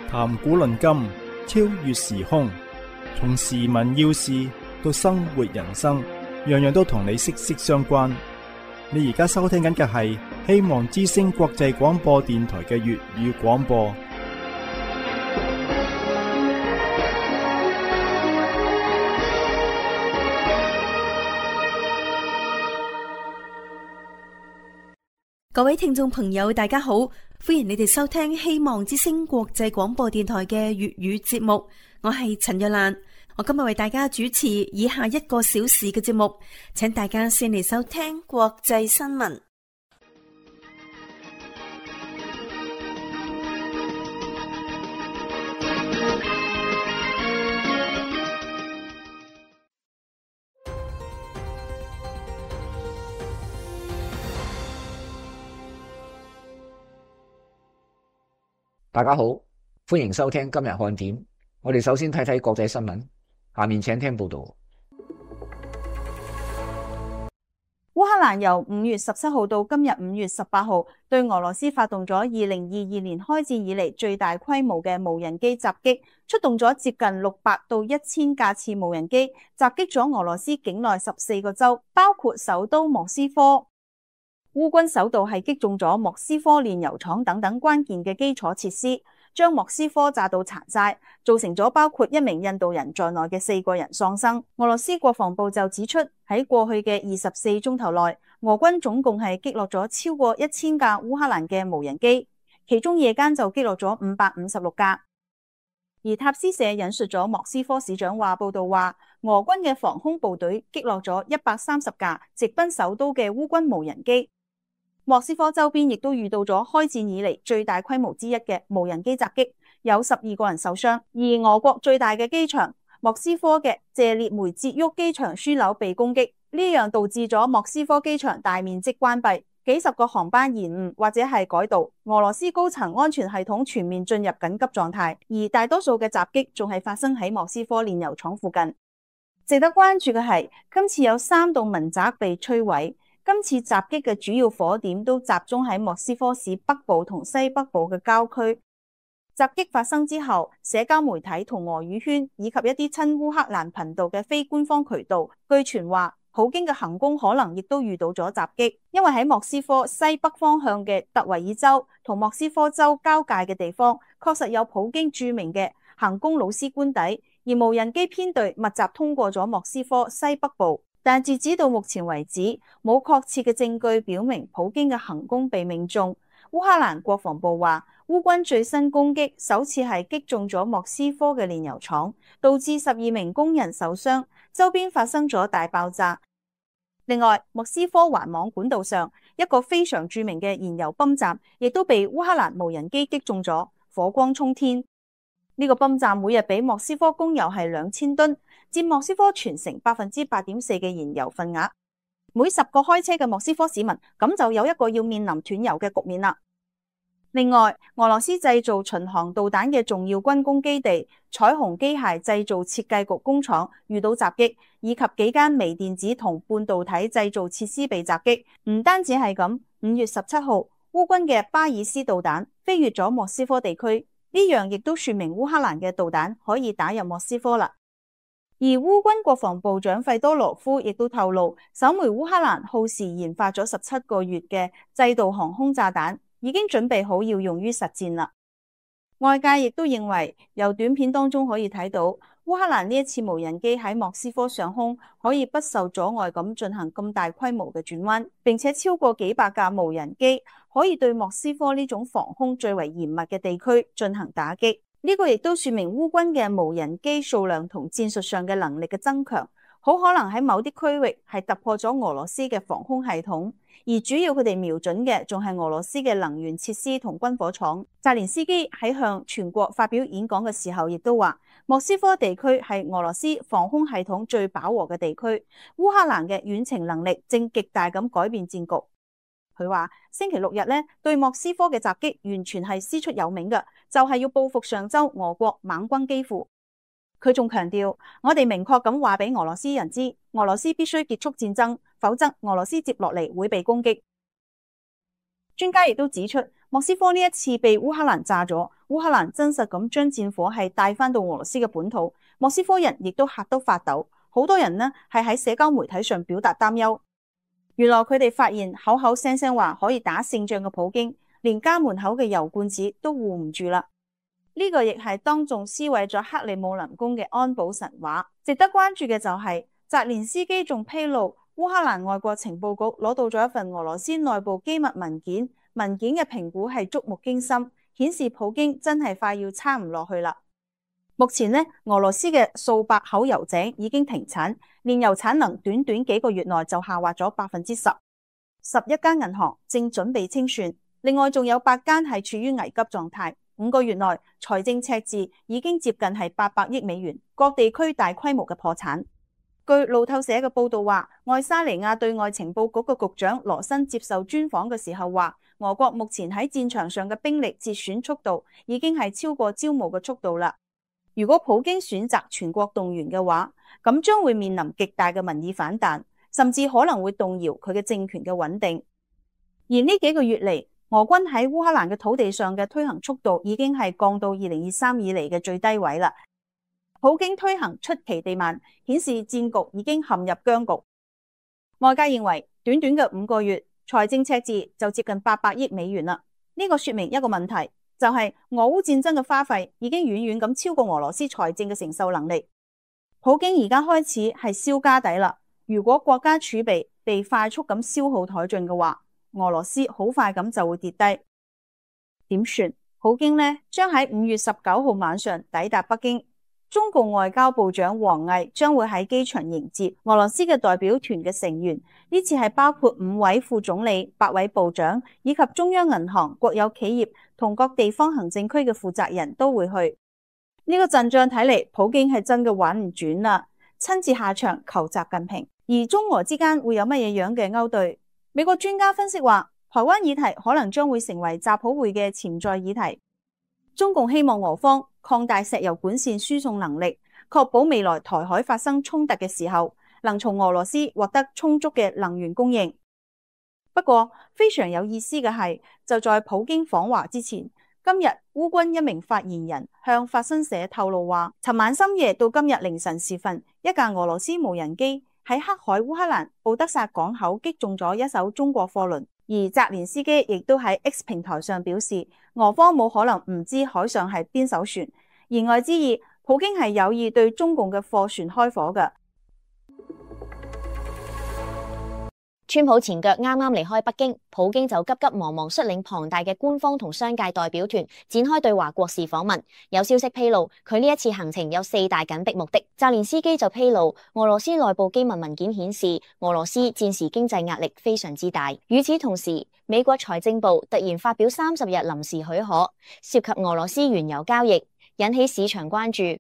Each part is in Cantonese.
談古論今，超越時空，從時聞要事到生活人生，樣樣都同你息息相關。你而家收聽緊嘅係希望之聲國際廣播電台嘅粵語廣播。各位聽眾朋友，大家好，歡迎你哋收聽希望之聲國際廣播電台嘅粵語節目，我係陳若蘭，我今日為大家主持以下1個小時嘅節目，請大家先嚟收聽國際新聞。大家好，歡迎收聽今日看點。我哋首先睇睇國際新聞，下面請聽報道。烏克蘭由5月17號到今日5月18號，對俄羅斯發動咗2022年開戰以嚟最大規模嘅無人機襲擊，出動咗接近600到1000架次無人機，襲擊咗俄羅斯境內14個州，包括首都莫斯科。烏軍首度係擊中咗莫斯科煉油廠等等關鍵嘅基礎設施，將莫斯科炸到殘晒，造成咗包括1名印度人在內嘅4個人喪生。俄羅斯國防部就指出，喺過去嘅24鐘頭內，俄軍總共係擊落咗超過1000架烏克蘭嘅無人機，其中夜間就擊落咗556架。而塔斯社引述咗莫斯科市長報道話，俄軍嘅防空部隊擊落咗130架直奔首都嘅烏軍無人機。莫斯科周邊亦都遇到咗開戰以嚟最大規模之一嘅無人機襲擊，有12個人受傷。而俄國最大嘅機場莫斯科嘅謝列梅捷沃機場樞紐被攻擊，呢樣導致咗莫斯科機場大面積關閉，幾十個航班延誤或者係改道。俄羅斯高層安全系統全面進入緊急狀態，而大多數嘅襲擊仲係發生喺莫斯科煉油廠附近。值得關注嘅係，今次有3棟民宅被摧毀。今次襲擊嘅主要火點都集中喺莫斯科市北部同西北部嘅郊區。襲擊發生之後，社交媒體同俄語圈以及一啲親烏克蘭頻道嘅非官方渠道，據傳話普京嘅行宮可能亦都遇到咗襲擊，因為喺莫斯科西北方向嘅特維爾州同莫斯科州交界嘅地方，確實有普京著名嘅行宮魯斯官邸，而無人機編隊密集通過咗莫斯科西北部。但截止到目前為止，冇確切嘅證據表明普京嘅行宮被命中。烏克蘭國防部話，烏軍最新攻擊首次係擊中咗莫斯科嘅煉油廠，導致12名工人受傷，周邊發生咗大爆炸。另外，莫斯科環網管道上一個非常著名嘅燃油泵站，亦都被烏克蘭無人機擊中咗，火光衝天。呢個泵站每日俾莫斯科供油係2000噸，佔莫斯科全城8.4%嘅燃油份額。每10個開車嘅莫斯科市民，咁就有一個要面臨斷油嘅局面啦。另外，俄羅斯製造巡航導彈嘅重要軍工基地彩虹機械製造設計局工廠遇到襲擊，以及幾間微電子同半導體製造設施被襲擊。唔單止係咁，5月17號，烏軍嘅巴爾斯導彈飛越咗莫斯科地區。呢樣亦都說明烏克蘭嘅導彈可以打入莫斯科啦。而烏軍國防部長費多羅夫亦都透露，首枚烏克蘭耗時研發咗17個月嘅制導航空炸彈已經準備好要用於實戰啦。外界亦都認為，由短片當中可以睇到，烏克蘭呢一次無人機喺莫斯科上空可以不受阻礙咁進行咁大規模嘅轉彎，並且超過幾百架無人機可以對莫斯科呢種防空最為嚴密嘅地區進行打擊。呢個亦都說明烏軍嘅無人機數量同戰術上嘅能力嘅增強，好可能喺某啲區域係突破咗俄羅斯嘅防空系統，而主要佢哋瞄準嘅仲係俄羅斯嘅能源設施同軍火廠。澤連斯基喺向全國發表演講嘅時候，亦都話莫斯科地區係俄羅斯防空系統最飽和嘅地區，烏克蘭嘅遠程能力正極大咁改變戰局。佢話星期6日咧，對莫斯科嘅襲擊完全係師出有名嘅，就係要報復上週俄國猛攻基輔。佢仲強調，我哋明確咁話俾俄羅斯人知，俄羅斯必須結束戰爭，否則俄羅斯接落嚟會被攻擊。專家亦都指出，莫斯科呢一次被烏克蘭炸咗，烏克蘭真實咁將戰火係帶翻到俄羅斯嘅本土，莫斯科人亦都嚇到發抖，好多人呢係喺社交媒體上表達擔憂。原來佢哋發現口口聲聲話可以打勝仗嘅普京，連家門口嘅油罐子都護唔住啦。呢個亦係當眾撕毀咗克里姆林宮嘅安保神話。值得關注嘅就係澤連斯基仲披露，烏克蘭外國情報局攞到咗一份俄羅斯內部機密文件，文件嘅評估係觸目驚心，顯示普京真係快要撐唔落去啦。目前呢，俄羅斯嘅數百口油井已經停產，煉油產能短短幾個月內就下滑咗10%。11間銀行正準備清算，另外仲有8間係處於危急狀態。5個月內財政赤字已經接近係800億美元，各地區大規模嘅破產。據路透社嘅報道話，愛沙尼亞對外情報局嘅局長羅申接受專訪嘅時候話，俄國目前喺戰場上嘅兵力折損速度已經係超過招募嘅速度啦。如果普京選擇全國動員嘅話，咁將會面臨極大嘅民意反彈，甚至可能會動搖佢嘅政權嘅穩定。而呢幾個月嚟，俄軍喺烏克蘭嘅土地上嘅推行速度已經係降到2023以嚟嘅最低位啦。普京推行出奇地慢，顯示戰局已經陷入僵局。外界認為，短短嘅5個月，財政赤字就接近800億美元啦。呢個說明一個問題，就係俄烏戰爭嘅花費已經遠遠咁超過俄羅斯財政嘅承受能力。普京而家開始係燒家底啦。如果國家儲備被快速咁消耗殆盡嘅話，俄羅斯好快咁就會跌低。點算？普京呢將喺5月19號晚上抵達北京，中共外交部長王毅將會喺機場迎接俄羅斯嘅代表團嘅成員。呢次係包括5位副總理、8位部長以及中央銀行、國有企業同各地方行政區嘅負責人都會去。呢個陣仗睇嚟，普京係真嘅玩唔轉啦，親自下場求習近平。而中俄之間會有乜嘢樣嘅勾兌？美國專家分析話，台灣議題可能將會成為習普會嘅潛在議題。中共希望俄方擴大石油管線輸送能力，確保未來台海發生衝突嘅時候，能從俄羅斯獲得充足嘅能源供應。不過非常有意思嘅係，就在普京訪華之前，今日烏軍一名發言人向法新社透露話，尋晚深夜到今日凌晨時分，一架俄羅斯無人機喺黑海烏克蘭敖德薩港口擊中咗一艘中國貨輪。而澤連斯基亦都喺 X 平台上表示，俄方冇可能唔知海上係邊艘船，言外之意，普京係有意對中共嘅貨船開火嘅。川普前腳啱啱離開北京，普京就急急忙忙率領龐大嘅官方同商界代表團展開對華國事訪問。有消息披露，佢呢一次行程有4大緊迫目的。澤連斯基就披露，俄羅斯內部機密文件顯示，俄羅斯戰時經濟壓力非常之大。與此同時，美國財政部突然發表30日臨時許可，涉及俄羅斯原油交易，引起市場關注。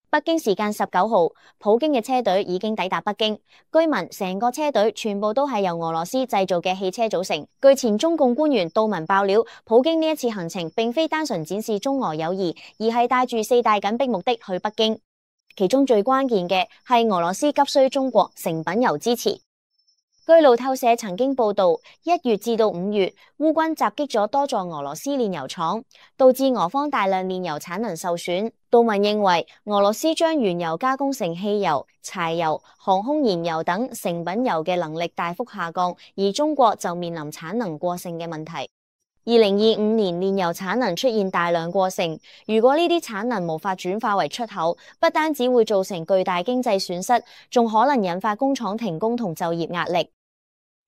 北京時間19號，普京嘅車隊已經抵達北京。據聞成個車隊全部都係由俄羅斯製造嘅汽車組成。據前中共官員杜文爆料，普京呢一次行程並非單純展示中俄友誼，而係帶住4大緊迫目的去北京。其中最關鍵嘅係俄羅斯急需中國成品油支持。據路透社曾經報道，1月至到5月，烏軍襲擊咗多座俄羅斯煉油廠，導致俄方大量煉油產能受損。杜文認為，俄羅斯將原油加工成汽油、柴油、航空燃油等成品油嘅能力大幅下降，而中國就面臨產能過剩嘅問題。2025年煉油產能出現大量過剩，如果呢啲產能無法轉化為出口，不單只會造成巨大經濟損失，仲可能引發工廠停工同就業壓力。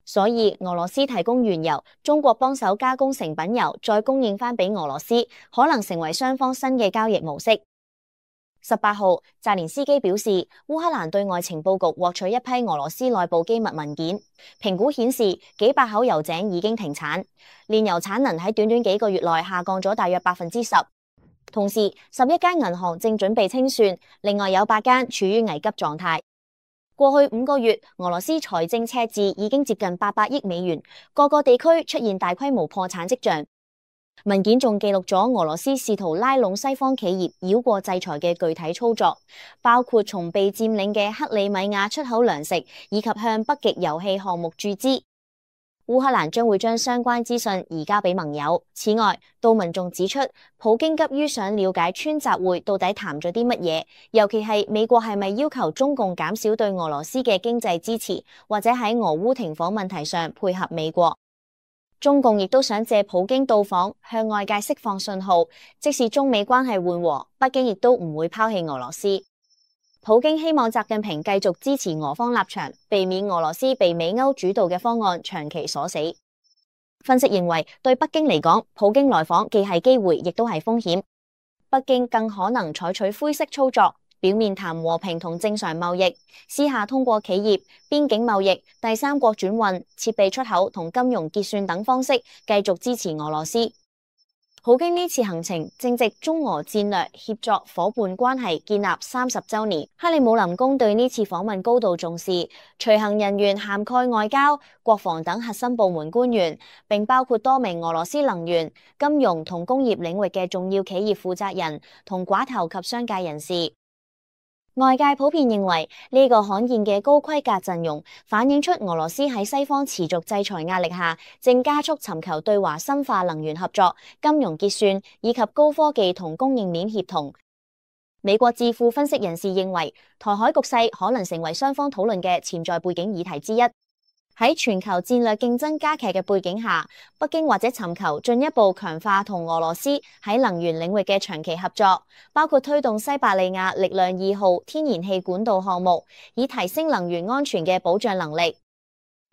所以俄羅斯提供原油，中國幫手加工成品油，再供應翻俾俄羅斯，可能成為雙方新嘅交易模式。18號，澤連斯基表示，烏克蘭對外情報局獲取一批俄羅斯內部機密文件，評估顯示幾百口油井已經停產，煉油產能喺短短幾個月內下降咗大約10%。同時，11間銀行正準備清算，另外有8間處於危急狀態。過去5個月，俄羅斯財政赤字已經接近800億美元，各個地區出現大規模破產跡象。文件仲記錄咗俄羅斯試圖拉攏西方企業繞過制裁嘅具體操作，包括從被佔領嘅克里米亞出口糧食，以及向北極油氣項目注資。烏克蘭將會將相關資訊移交俾盟友。此外，杜文仲指出，普京急於想了解川習會到底談咗啲乜嘢，尤其係美國係咪要求中共減少對俄羅斯嘅經濟支持，或者喺俄烏停火問題上配合美國。中共亦都想借普京到訪向外界釋放信號，即使中美關係緩和，北京亦都唔會拋棄俄羅斯。普京希望習近平繼續支持俄方立場，避免俄羅斯被美歐主導嘅方案長期鎖死。分析認為，對北京嚟講，普京來訪既係機會，亦都係風險。北京更可能採取灰色操作，表面談和平同正常貿易，私下通過企業、邊境貿易、第三國轉運、設備出口同金融結算等方式繼續支持俄羅斯。普京呢次行程正值中俄戰略協作夥伴關係建立30週年，克里姆林宮對呢次訪問高度重視，隨行人員涵蓋外交、國防等核心部門官員，並包括多名俄羅斯能源、金融同工業領域嘅重要企業負責人同寡頭及商界人士。外界普遍認為呢個罕見嘅高規格陣容，反映出俄羅斯喺西方持續制裁壓力下，正加速尋求對華深化能源合作、金融結算以及高科技同供應鏈協同。美國智庫分析人士認為，台海局勢可能成為雙方討論嘅潛在背景議題之一。喺全球戰略競爭加劇嘅背景下，北京或者尋求進一步強化同俄羅斯喺能源領域嘅長期合作，包括推動西伯利亞力量2號天然氣管道項目，以提升能源安全嘅保障能力。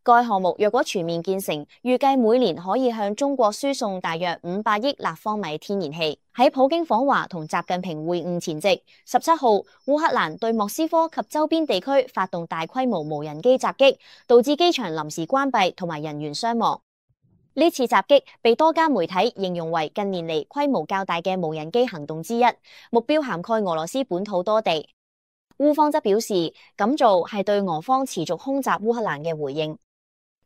該項目若果全面建成，預計每年可以向中國輸送大約500億立方米天然氣。喺普京訪華同習近平會晤前夕，17號烏克蘭對莫斯科及周邊地區發動大規模無人機襲擊，導致機場臨時關閉同埋人員傷亡。呢次襲擊被多家媒體形容為近年嚟規模較大嘅無人機行動之一，目標涵蓋俄羅斯本土多地。烏方則表示，咁做係對俄方持續空襲烏克蘭嘅回應。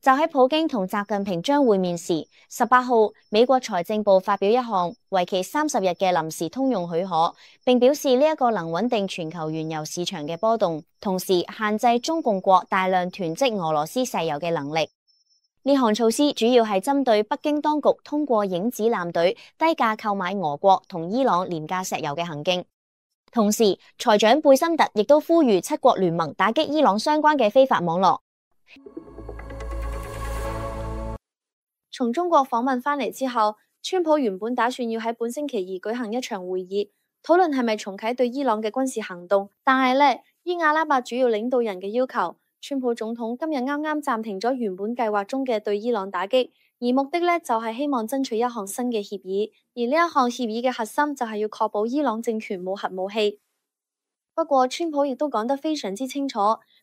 就喺普京同習近平將會面時，18號美國財政部發表一項為期30日嘅臨時通用許可，並表示呢一個能穩定全球原油市場嘅波動，同時限制中共國大量囤積俄羅斯石油嘅能力。呢項措施主要係針對北京當局通過影子艦隊低價購買俄國同伊朗廉價石油嘅行徑。同時，財長貝森特亦都呼籲7國聯盟打擊伊朗相關嘅非法網絡。從中國訪問返嚟之後，川普原本打算要喺本星期2舉行一場會議，討論係咪重啟對伊朗嘅軍事行動。但係呢，依阿拉伯主要領導人嘅要求，川普總統今日啱啱暫停咗原本計劃中嘅對伊朗打擊，而目的呢，就係希望爭取一項新嘅協議，而呢一項協議嘅核心就係要確保伊朗政權冇核武器。不過，川普亦都講得非常之清楚，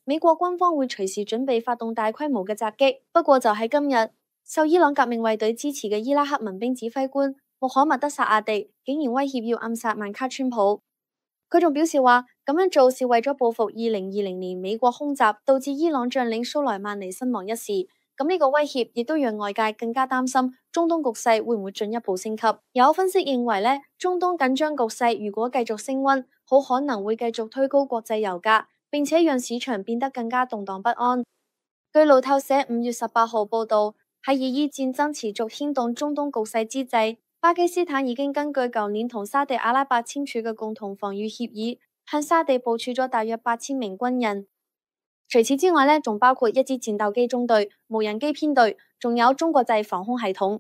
美國軍方會隨時準備發動大規模嘅襲擊。不過就喺今日，受伊朗革命衛隊支持嘅伊拉克民兵指揮官穆罕默德薩阿迪竟然威脅要暗殺曼卡川普。佢仲表示話，咁樣做是為咗報復2020年美國空襲導致伊朗將領蘇萊曼尼身亡一事。咁呢個威脅亦都讓外界更加擔心中東局勢會唔會進一步升級。有分析認為呢，中東緊張局勢如果繼續升溫，好可能會繼續推高國際油價，並且讓市場變得更加動盪不安。據路透社5月18號報道，喺以伊戰爭持續牽動中東局勢之際，巴基斯坦已經根據舊年同沙地阿拉伯簽署嘅共同防禦協議，向沙地部署咗大約8000名軍人。除此之外呢，仲包括一支戰鬥機中隊、無人機編隊，仲有中國製防空系統。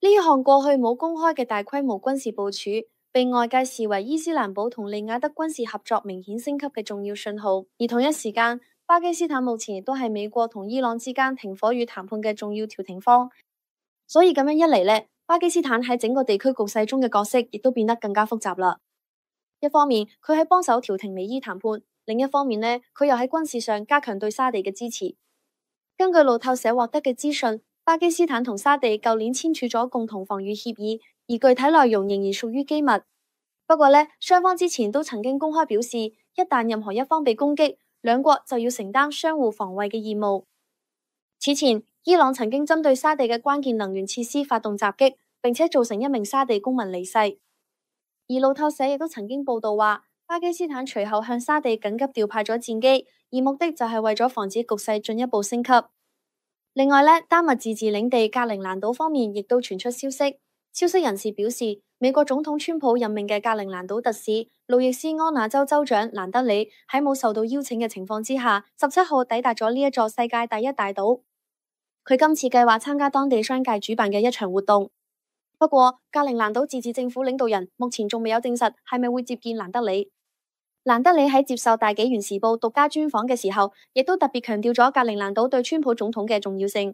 呢一項過去冇公開嘅大規模軍事部署，被外界視為伊斯蘭堡同利雅得軍事合作明顯升級嘅重要信號。而同一時間，巴基斯坦目前亦都係美國同伊朗之間停火與談判嘅重要調停方，所以咁樣一嚟呢，巴基斯坦喺整個地區局勢中嘅角色亦都變得更加複雜啦。一方面，佢喺幫手調停美伊談判；另一方面呢，佢又喺軍事上加強對沙地嘅支持。根據路透社獲得嘅資訊，巴基斯坦同沙地舊年簽署咗共同防禦協議，而具體內容仍然屬於機密。不過呢，雙方之前都曾經公開表示，一旦任何一方被攻擊，兩國就要承擔相互防衛嘅義務。此前，伊朗曾經針對沙地嘅關鍵能源設施發動襲擊，並且造成1名沙地公民離世。而路透社亦都曾經報道話，巴基斯坦隨後向沙地緊急調派咗戰機，而目的就係為咗防止局勢進一步升級。另外咧，丹麥自治領地格陵蘭島方面亦都傳出消息，消息人士表示，美國總統川普任命嘅格陵蘭島特使路易斯安那州州長蘭德里喺冇受到邀請嘅情況之下，17號抵達咗呢一座世界第一大島。佢今次計劃參加當地商界主辦嘅一場活動。不過，格陵蘭島自治政府領導人目前仲未有證實係咪會接見蘭德里。蘭德里喺接受大紀元時報獨家專訪嘅時候，亦都特別強調咗格陵蘭島對川普總統嘅重要性。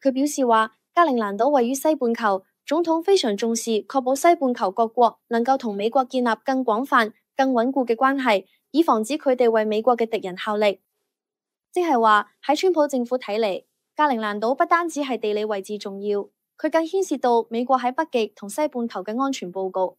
佢表示話，格陵蘭島位於西半球，總統非常重視確保西半球各國能夠同美國建立更廣泛、更穩固嘅關係，以防止佢哋為美國嘅敵人效力。即係話喺川普政府睇嚟，格陵蘭島不單止係地理位置重要，佢更牽涉到美國喺北極同西半球嘅安全報告。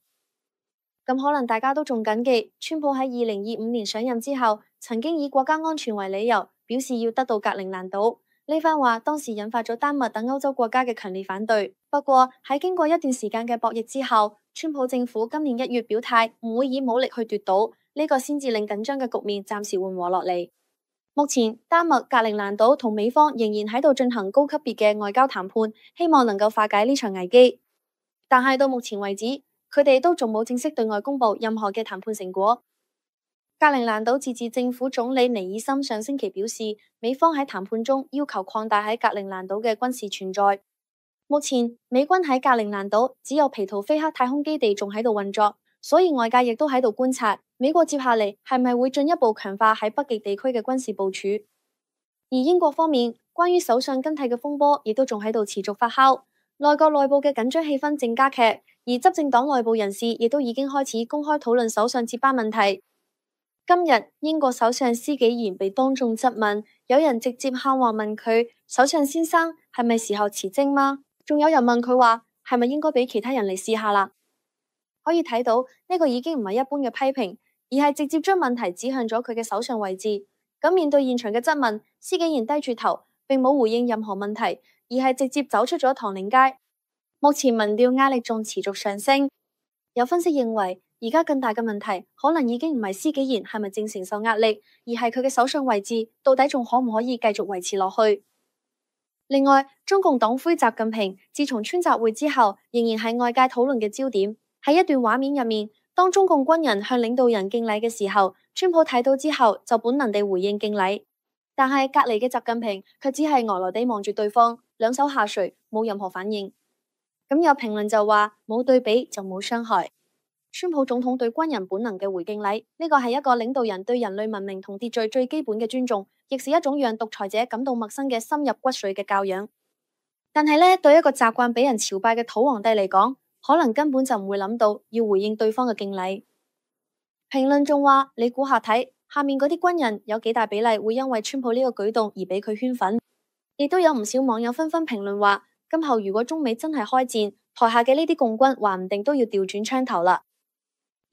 咁可能大家都仲謹記，川普喺2025年上任之後，曾經以國家安全為理由，表示要得到格陵蘭島。呢番話當時引發咗丹麥等歐洲國家嘅強烈反對。不過喺經過一段時間嘅博弈之後，川普政府今年1月表態唔會以武力去奪島，呢個先至令緊張嘅局面暫時緩和落嚟。目前丹麥格陵蘭島同美方仍然喺度進行高級別嘅外交談判，希望能夠化解呢場危機。但係到目前為止，佢哋都仲冇正式對外公布任何嘅談判成果。格陵蘭島自治政府總理尼爾森上星期表示，美方喺談判中要求擴大喺格陵蘭島嘅軍事存在。目前美軍喺格陵蘭島只有皮圖菲克太空基地仲喺度運作，所以外界亦都喺度觀察美國接下嚟係咪會進一步強化喺北極地區嘅軍事部署。而英國方面，關於首相更替嘅風波亦都仲喺度持續發酵，內閣內部嘅緊張氣氛正加劇，而執政黨內部人士亦都已經開始公開討論首相接班問題。今日英國首相施紀賢被當眾質問，有人直接喊話問佢：首相先生係咪時候辭職嗎？仲有人問佢話係咪應該俾其他人嚟試下啦？可以睇到呢個已經唔係一般嘅批評，而係直接將問題指向咗佢嘅首相位置。咁面對現場嘅質問，施紀賢低住頭，並冇回應任何問題，而係直接走出咗唐寧街。目前民調壓力仲持續上升，有分析認為，而家更大嘅問題可能已經唔係施紀賢係咪正承受壓力，而係佢嘅首相位置到底仲可唔可以繼續維持落去。另外，中共黨魁習近平自從川習會之後，仍然係外界討論嘅焦點。喺一段畫面入面，當中共軍人向領導人敬禮嘅時候，川普睇到之後就本能地回應敬禮，但係隔籬嘅習近平卻只係呆呆地望住對方，兩手下垂，冇任何反應。咁有評論就話，冇對比就冇傷害。川普總統對軍人本能嘅回敬禮，呢個係一個領導人對人類文明同秩序最基本嘅尊重，亦是一種讓獨裁者感到陌生嘅深入骨髓嘅教養。但係呢，對一個習慣俾人朝拜嘅土皇帝嚟講，可能根本就唔會諗到要回應對方嘅敬禮。評論仲話，你估下睇，下面嗰啲軍人有幾大比例會因為川普呢個舉動而俾佢圈粉？亦都有唔少網友紛紛評論話，今後如果中美真係開戰，台下嘅呢啲共軍話唔定都要調轉槍頭啦。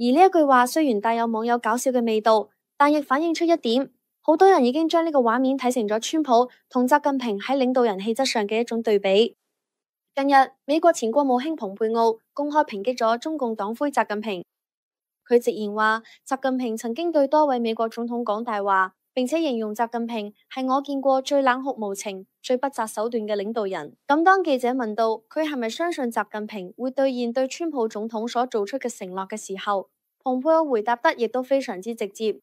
而呢一句話雖然帶有網友搞笑嘅味道，但亦反映出一點，好多人已經將呢個畫面睇成咗川普同習近平喺領導人氣質上嘅一種對比。近日，美國前國務卿蓬佩奧公開抨擊咗中共黨魁習近平，佢直言話，習近平曾經對多位美國總統講大話，並且形容習近平係我見過最冷酷無情、最不擇手段嘅領導人。咁當記者問到佢係咪相信習近平會兌現對川普總統所做出嘅承諾嘅時候，蓬佩奧回答得亦都非常之直接。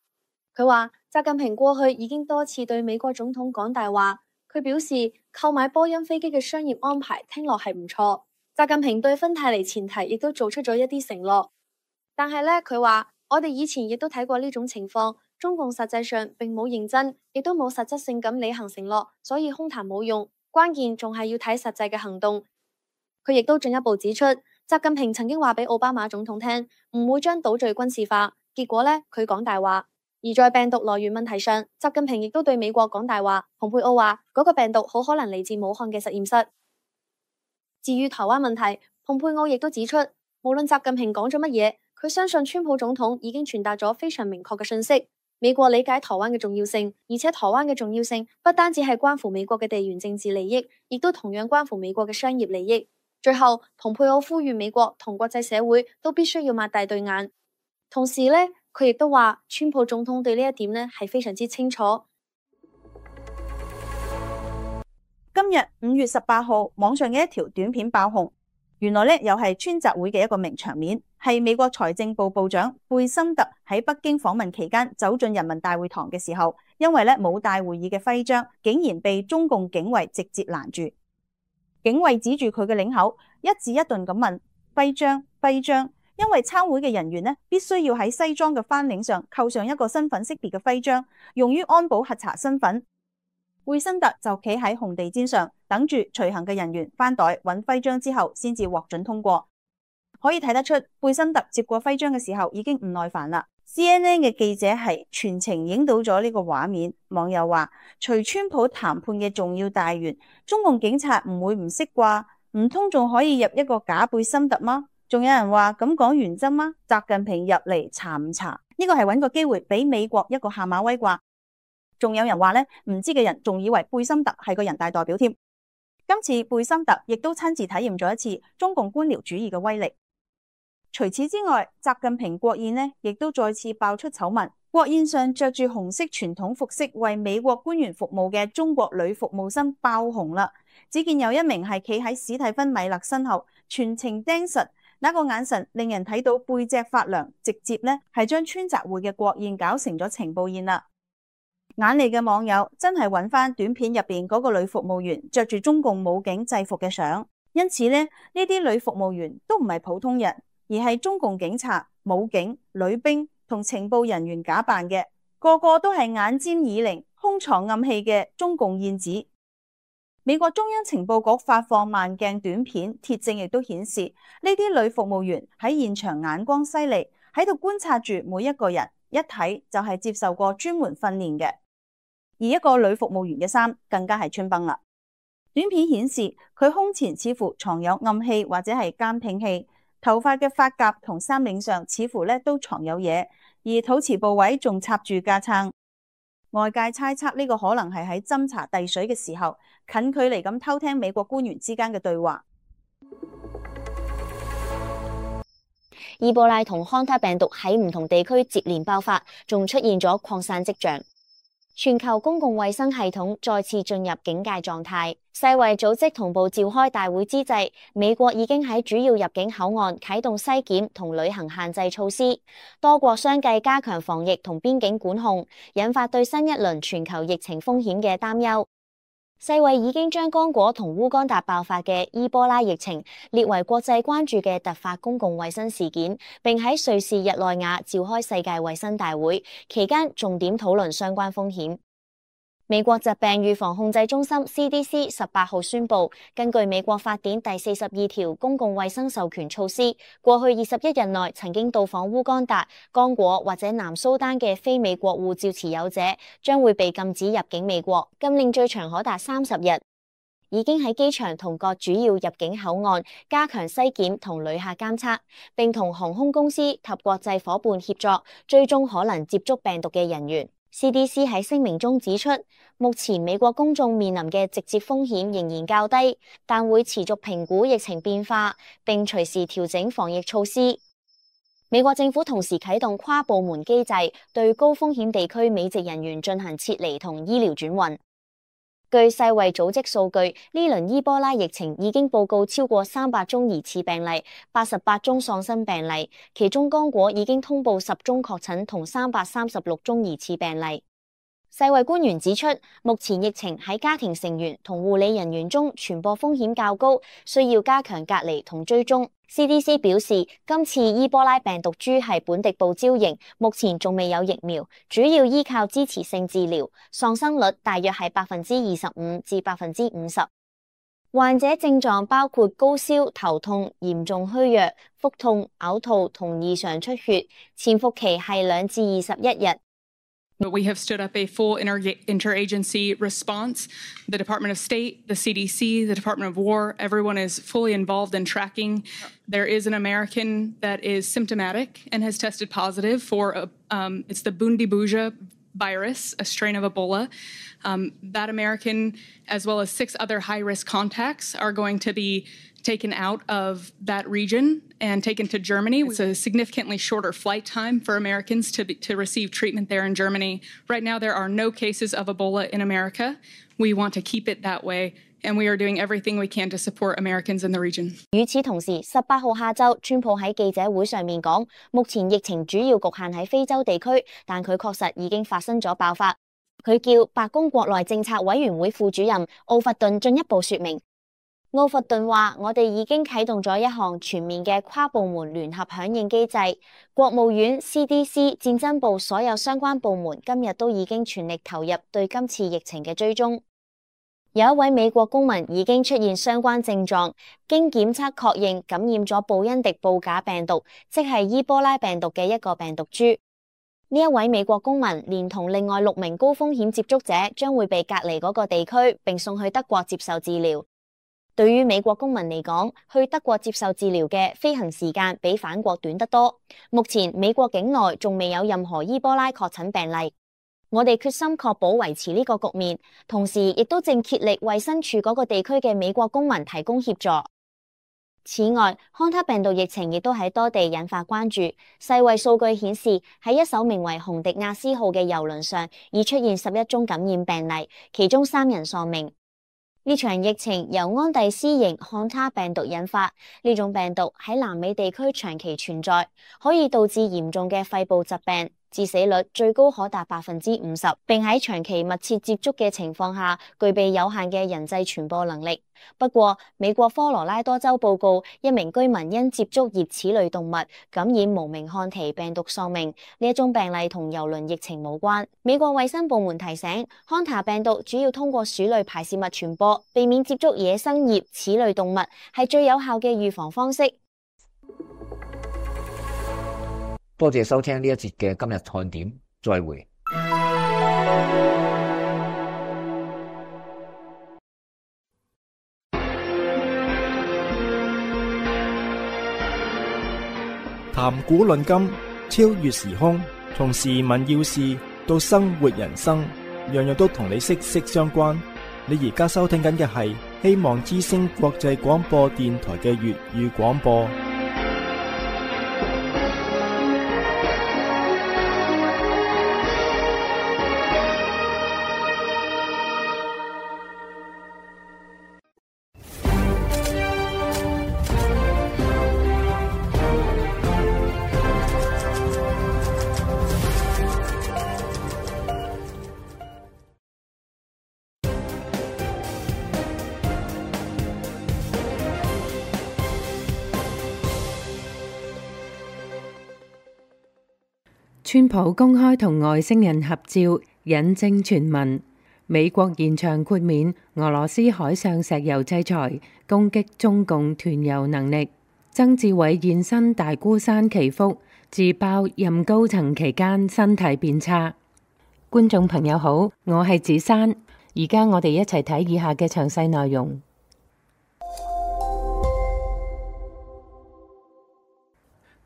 佢話習近平過去已經多次對美國總統講大話，佢表示購買波音飛機嘅商業安排聽落係唔錯。習近平對芬太尼前提亦都做出咗一啲承諾，但係呢，佢話我哋以前亦都睇過呢種情況。中共實際上並冇認真，亦都冇實質性咁履行承諾，所以空談冇用，關鍵仲係要睇實際嘅行動。佢亦都進一步指出，習近平曾經話俾奧巴馬總統聽，唔會將島嶼軍事化，結果呢，佢講大話。而在病毒來源問題上，習近平亦都對美國講大話。蓬佩奧話嗰個病毒好可能嚟自武漢嘅實驗室。至於台灣問題，蓬佩奧亦都指出，無論習近平講咗乜嘢，佢相信川普總統已經傳達咗非常明確嘅信息。美國理解台灣嘅重要性，而且台灣嘅重要性不單止係關乎美國嘅地緣政治利益，亦都同樣關乎美國嘅商業利益。最後，蓬佩奧呼籲美國同國際社會都必須要擘大對眼。同時呢，佢亦都話，川普總統對呢一點呢係非常之清楚。今日5月18號，網上嘅一條短片爆紅，原來咧又係川習會嘅一個名場面，係美國財政部部長貝森特喺北京訪問期間走進人民大會堂嘅時候，因為咧冇帶會議嘅徽章，竟然被中共警衛直接攔住。警衛指住佢嘅領口，一字一頓咁問：徽章，徽章。因為參會嘅人員呢，必須要喺西裝嘅翻領上扣上一個身份識別嘅徽章，用於安保核查身份。貝森特就企喺紅地毯上，等住隨行嘅人員翻袋揾徽章之後，先至獲准通過。可以睇得出，貝森特接過徽章嘅時候已經唔耐煩啦。CNN 嘅記者係全程影到咗呢個畫面，網友話：隨川普談判嘅重要大員，中共警察唔會唔識啩？唔通仲可以入一個假貝森特嗎？仲有人話咁講原則嗎？習近平入嚟查唔查？呢個係揾個機會俾美國一個下馬威啩？仲有人話呢，唔知嘅人仲以為貝森特係個人大代表添。今次貝森特亦都親自體驗咗一次中共官僚主義嘅威力。除此之外，習近平國宴呢亦都再次爆出醜聞。國宴上着住紅色傳統服飾為美國官員服務嘅中國女服務生爆紅啦。只見有一名係企喺史蒂芬米勒身後，全程盯實。那個眼神令人睇到背脊發涼，直接呢係將川習會嘅國宴搞成咗情報宴啦。眼利嘅網友真係揾翻短片入邊嗰個女服務員着住中共武警制服嘅相，因此呢啲女服務員都唔係普通人，而係中共警察、武警、女兵同情報人員假扮嘅，個個都係眼尖耳靈、胸藏暗器嘅中共燕子。美國中央情報局發放慢鏡短片，鐵證亦都顯示呢啲女服務員喺現場眼光犀利，喺度觀察住每一個人，一睇就係接受過專門訓練嘅。而一個女服務員嘅衫更加係穿崩啦。短片顯示佢胸前似乎藏有暗器或者係監聽器，頭髮嘅髮夾同衫領上似乎咧都藏有嘢，而肚臍部位仲插住架撐。外界猜測呢個可能係喺斟茶遞水嘅時候，近距離咁偷聽美國官員之間嘅對話。伊波拉同康他病毒喺唔同地區接連爆發，仲出現咗擴散跡象。全球公共衛生系統再次進入警戒狀態。世衛組織同步召開大會之際，美國已經喺主要入境口岸啟動篩檢同旅行限制措施，多國相繼加強防疫同邊境管控，引發對新一輪全球疫情風險嘅擔憂。世衛已經將剛果同烏干達爆發嘅伊波拉疫情列為國際關注嘅突發公共衛生事件，並喺瑞士日內瓦召開世界衛生大會，期間重點討論相關風險。美國疾病預防控制中心 CDC 18號宣布，根據美國法典第42條公共衛生授權措施，過去21日內曾經到訪烏干達、剛果或者南蘇丹嘅非美國護照持有者，將會被禁止入境美國，禁令最長可達30日。已經喺機場同各主要入境口岸加強篩檢同旅客監測，並同航空公司及國際夥伴協作，追蹤可能接觸病毒嘅人員。CDC 喺聲明中指出，目前美國公眾面臨嘅直接風險仍然較低，但會持續評估疫情變化，並隨時調整防疫措施。美國政府同時啟動跨部門機制，對高風險地區美籍人員進行撤離同醫療轉運。據世衛組織數據，呢輪伊波拉疫情已經報告超過300宗疑似病例，88宗喪生病例，其中剛果已經通報10宗確診同336宗疑似病例。世衛官員指出，目前疫情喺家庭成員同護理人員中傳播風險較高，需要加強隔離同追蹤。CDC 表示，今次伊波拉病毒株係本地部招型，目前仲未有疫苗，主要依靠支持性治療，喪生率大約係25%至50%。患者症狀包括高燒、頭痛、嚴重虛弱、腹痛、嘔吐同異常出血，潛伏期係2至21日。But we have stood up a full interagency response. The Department of State, the CDC, the Department of War, everyone is fully involved in tracking. There is an American that is symptomatic and has tested positive for, it's the Bundibuja virus, a strain of Ebola. That American, as well as 6 other high-risk contacts, are going to be taken out of that region and taken to Germany. It's a significantly shorter flight time for Americans to receive treatment there in Germany. Right now, there are no cases of Ebola in America. We want to keep it that way and we are doing everything we can to support Americans in the region. 與此同時，18號下晝，川普喺記者會上面講，目前疫情主要局限喺非洲地區，但佢確實已經發生咗爆發。佢叫白宮國內政策委員會副主任奧弗頓進一步說明。奧弗頓話：我哋已經啟動咗一項全面嘅跨部門聯合響應機制，國務院、CDC、戰爭部所有相關部門今日都已經全力投入對今次疫情嘅追蹤。有一位美國公民已經出現相關症狀，經檢測確認感染咗布因迪布假病毒，即係伊波拉病毒嘅一個病毒株。呢一位美國公民連同另外6名高風險接觸者將會被隔離嗰個地區，並送去德國接受治療。對於美國公民嚟講，去德國接受治療嘅飛行時間比返國短得多。目前美國境內仲未有任何伊波拉確診病例。我哋決心確保維持呢個局面，同時亦都正竭力為身處嗰個地區嘅美國公民提供協助。此外，康他病毒疫情亦都喺多地引發關注。世衛數據顯示，喺一艘名為紅迪亞斯號嘅郵輪上已出現11宗感染病例，其中3人喪命。呢場疫情由安第斯型漢他病毒引發，呢種病毒喺南美地區長期存在，可以導致嚴重嘅肺部疾病，致死率最高可達50%，並喺長期密切接觸嘅情況下，具備有限嘅人際傳播能力。不過，美國科羅拉多州報告一名居民因接觸熱齒類動物感染無名漢奇病毒喪命，呢一宗病例同郵輪疫情無關。美國衛生部門提醒，康塔病毒主要通過鼠類排泄物傳播，避免接觸野生熱齒類動物係最有效嘅預防方式。多謝收聽呢一節嘅今日看點，再會。談古論今，超越時空，從時聞要事到生活人生，樣樣都同你息息相關。你而家收聽緊嘅係希望之聲國際廣播電台嘅粵語廣播。川普公開同外星人合照，引證傳聞。美國延長豁免俄羅斯海上石油制裁，攻擊中共團油能力。曾志偉現身大孤山祈福，自爆任高層期間身體變差。觀眾朋友好，我係子珊，而家我哋一齊睇以下嘅詳細內容。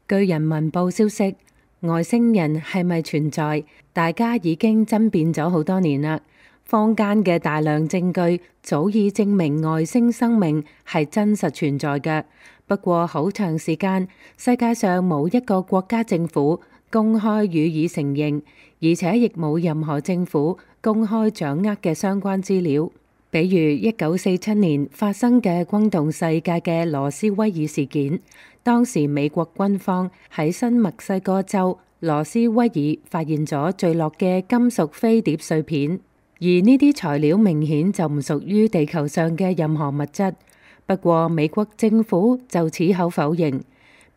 據人民報消息，外星人係咪存在？大家已經爭辯咗好多年啦。坊間嘅大量證據早已證明外星生命係真實存在嘅。不過好長時間，世界上冇一個國家政府公開予以承認，而且亦冇任何政府公開掌握嘅相關資料。比如1947年發生嘅轟動世界嘅羅斯威爾事件，當時美國軍方喺新墨西哥州羅斯威爾發現咗墜落嘅金屬飛碟碎片，而呢啲材料明顯就唔屬於地球上嘅任何物質。不過美國政府就矢口否認。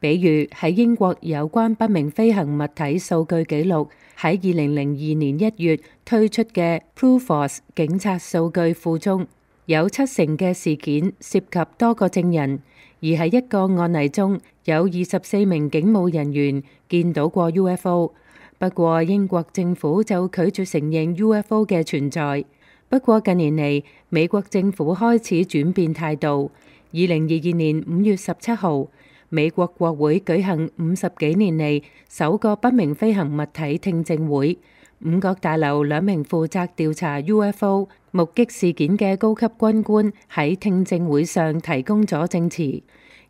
比如喺英國有關不明飛行物體數據記錄喺2002年1月推出嘅 PRUFORCE 警察數據庫中，有70%嘅事件涉及多個證人，而喺一個案例中有24名警務人員見到過 UFO。不過英國政府就拒絕承認 UFO 嘅存在。不過近年嚟，美國政府開始轉變態度。2022年5月17號，美國國會舉行50幾年嚟首個不明飛行物體聽證會。五角大樓2名負責調查 UFO 目擊事件嘅高級軍官喺聽證會上提供咗證詞。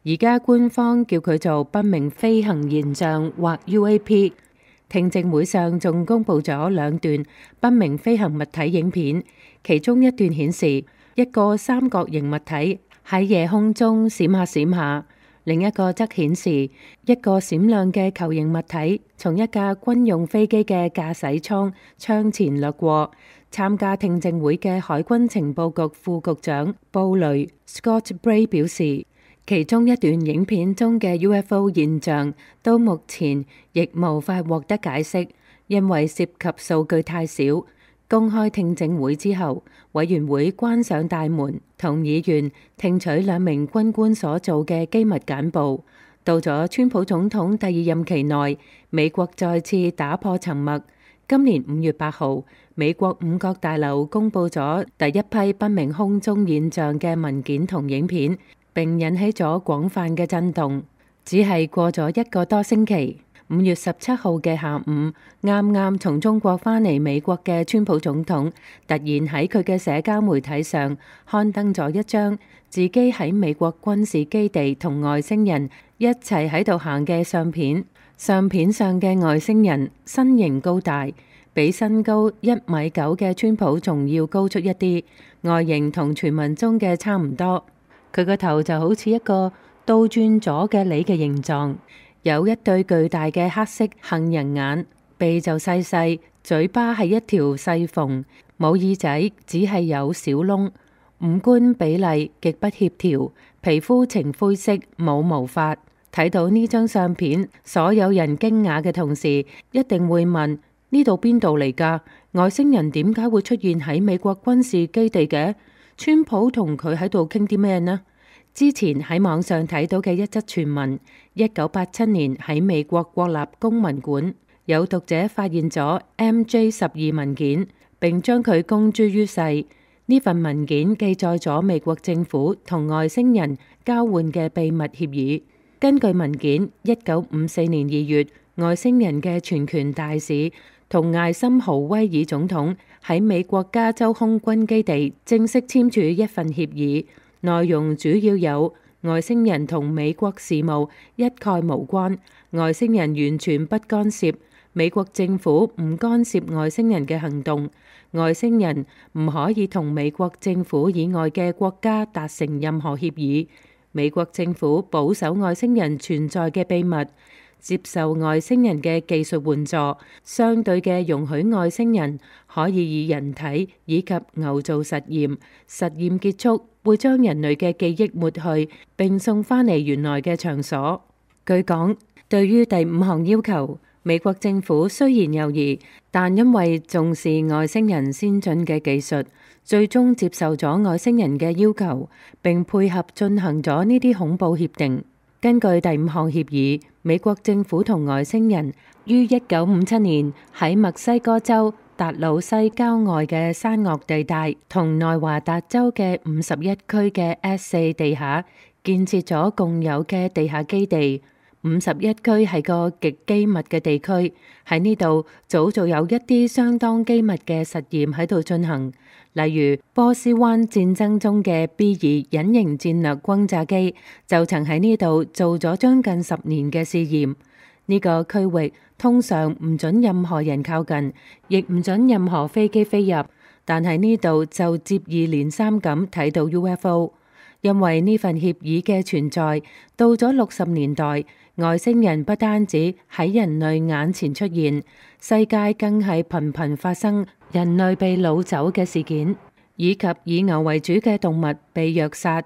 而家官方叫佢做不明飛行現象或 UAP。聽證會上仲公布咗2段不明飛行物體影片，其中一段顯示一個三角形物體喺夜空中閃下閃下，另一個則顯示一個閃亮嘅球形物體從一架軍用飛機嘅駕駛艙窗前掠過。參加聽證會嘅海軍情報局副局長布雷 Scott Bray 表示，其中一段影片中嘅 UFO 現象到目前亦無法獲得解釋，因為涉及數據太少。公開聽證會之後，委員會關上大門，同議員聽取兩名軍官所做嘅機密簡報。到咗川普總統第二任期內，美國再次打破沉默。今年5月8號，美國五角大樓公佈咗第一批不明空中現象嘅文件同影片，並引起咗廣泛嘅震動。只係過咗一個多星期，5月17號嘅下午，啱啱從中國返嚟美國嘅川普總統，突然喺佢嘅社交媒體上刊登咗一張自己喺美國軍事基地同外星人一齊喺度行嘅相片。相片上嘅外星人身形高大，比身高1.9米嘅川普仲要高出一啲，外形同傳聞中嘅差唔多。佢個頭就好似一個倒轉咗嘅梨嘅形狀，有一對巨大嘅黑色杏仁眼，鼻就細細，嘴巴係一條細縫，冇耳仔，只係有小窿，五官比例極不協調，皮膚呈灰色，冇毛髮。睇到呢張相片，所有人驚訝嘅同時，一定會問：呢度邊度嚟㗎？外星人點解會出現喺美國軍事基地嘅？川普同佢喺度傾啲咩呢？之前喺網上睇到嘅一則傳聞，1987年喺美國國立公文館，有讀者發現咗 MJ12文件，並將佢公諸於世。呢份文件記載咗美國政府同外星人交換嘅秘密協議。根據文件，1954年2月，外星人嘅全權大使同艾森豪威爾總統喺美國加州空軍基地正式簽署一份協議，內容主要有外星人同美國事務一概無關，外星人完全不干涉，美國政府唔干涉外星人嘅行動，外星人唔可以同美國政府以外嘅國家達成任何協議。美國政府保守外星人存在嘅秘密，接受外星人嘅技術援助，相對嘅容許外星人可以以人體以及牛做實驗，實驗結束會將人類嘅記憶抹去，並送返嚟原來嘅場所。據講，對於第5項要求，美國政府雖然猶豫，但因為重視外星人先進嘅技術，最終接受咗外星人嘅要求，並配合進行咗呢啲恐怖協定。根據第5項協議，美國政府同外星人於1957年喺墨西哥州達魯西郊外嘅山岳地帶同內華達州嘅51區嘅 S4 地下建設咗共有嘅地下基地。51區係個極機密嘅地區，喺呢度早就有一啲相當機密嘅實驗喺度進行，例如波斯灣戰爭中嘅 B2隱形戰略轟炸機就曾喺呢度做咗將近10年嘅試驗。呢個區域通常唔准任何人靠近，亦唔准任何飛機飛入，但喺呢度就接二連三咁睇到 UFO。因為呢份協議嘅存在，到咗60年代，外星人不單止喺人類眼前出現，世界更係頻頻發生人類被擄走嘅事件，以及以牛為主嘅動物被虐殺。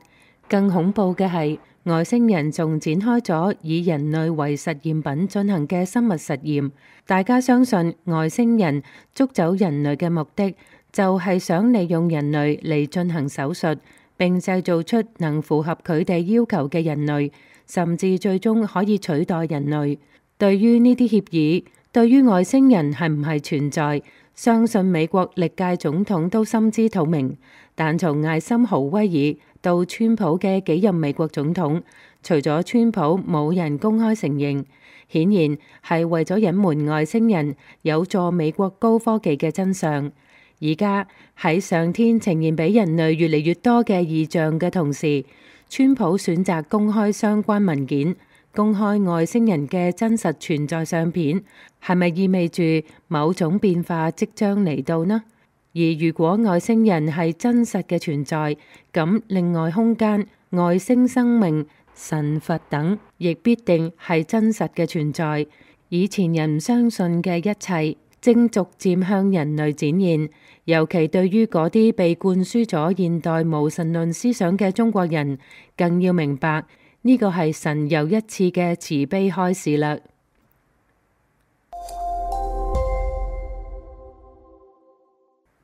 更恐怖嘅係，外星人仲展開咗以人類為實驗品進行嘅生物實驗。大家相信外星人捉走人類嘅目的，就係想利用人類嚟進行手術，並製造出能符合佢哋要求嘅人類，甚至最終可以取代人類。對於呢啲協議，對於外星人係唔係存在，相信美國歷屆總統都心知肚明。但從艾森豪威爾到川普嘅幾任美國總統，除咗川普冇人公開承認，顯然係為咗隱瞞外星人有助美國高科技嘅真相。而家喺上天呈現俾人類越嚟越多嘅異象嘅同時，川普選擇公開相關文件，公開外星人嘅真實存在相片，係咪意味住某種變化即將嚟到呢？而如果外星人係真實嘅存在，咁另外空間、外星生命、神佛等，亦必定係真實嘅存在。以前人唔相信嘅一切，正逐漸向人類展現。尤其對於嗰啲被灌輸咗現代無神論思想嘅中國人，更要明白呢個係神又一次嘅慈悲開示啦。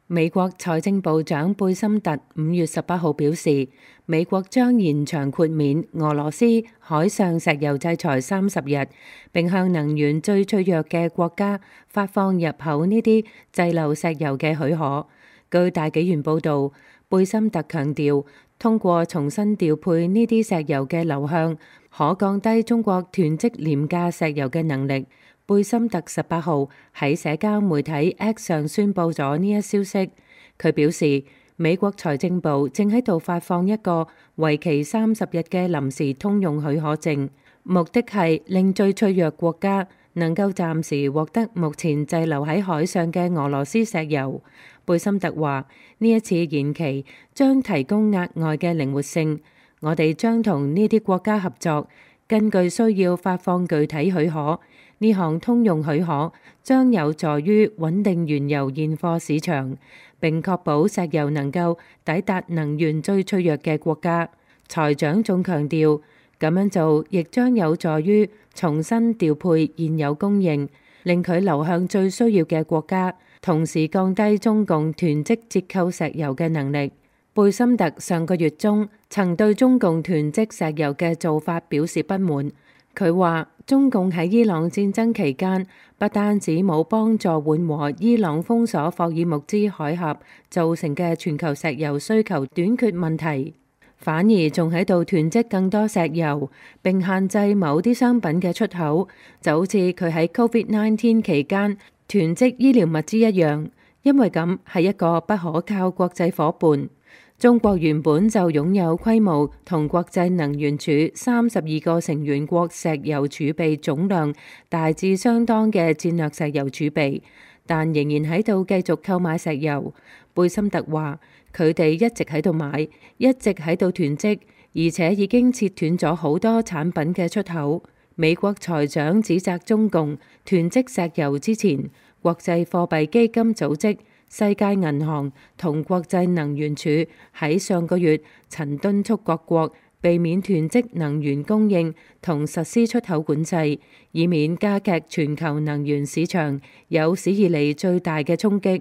美國財政部長貝森特5月18號表示，美國將延長豁免俄羅斯海上石油制裁30日，並向能源最脆弱嘅國家發放入口呢啲滯留石油嘅許可。據大紀元報導，貝森特強調，通過重新調配呢啲石油嘅流向，可降低中國囤積廉價石油嘅能力。貝森特18號喺社交媒體 X 上宣佈咗呢一消息。佢表示，美國財政部正喺度發放一個為期30日嘅臨時通用許可證，目的係令最脆弱國家能夠暫時獲得目前滯留喺海上嘅俄羅斯石油。貝森特話：呢一次延期將提供額外嘅靈活性，我哋將同呢啲國家合作，根據需要發放具體許可。呢項通用許可將有助於穩定原油現貨市場，並確保石油能夠抵達能源最脆弱嘅國家。財長仲強調，咁樣做亦將有助於重新調配現有供應，令佢流向最需要嘅國家，同時降低中共囤積折扣石油嘅能力。貝森特上個月中曾對中共囤積石油嘅做法表示不滿。佢話：中共喺伊朗戰爭期間，不單止冇幫助緩和伊朗封鎖霍爾木茲海峽造成嘅全球石油需求短缺問題，反而仲喺度囤積更多石油，並限制某啲商品嘅出口，就好似佢喺 COVID-19 期間囤積醫療物資一樣。因為咁係一個不可靠國際夥伴。中國原本就擁有規模同國際能源署32個成員國石油儲備總量大致相當嘅戰略石油儲備，但仍然喺度繼續購買石油。貝森特話：佢哋一直喺度買，一直喺度囤積，而且已經切斷咗好多產品嘅出口。美國財長指責中共囤積石油之前，國際貨幣基金組織、世界銀行同國際能源署喺上個月曾敦促各國避免囤積能源供應同實施出口管制，以免加劇全球能源市場有史以嚟最大嘅衝擊。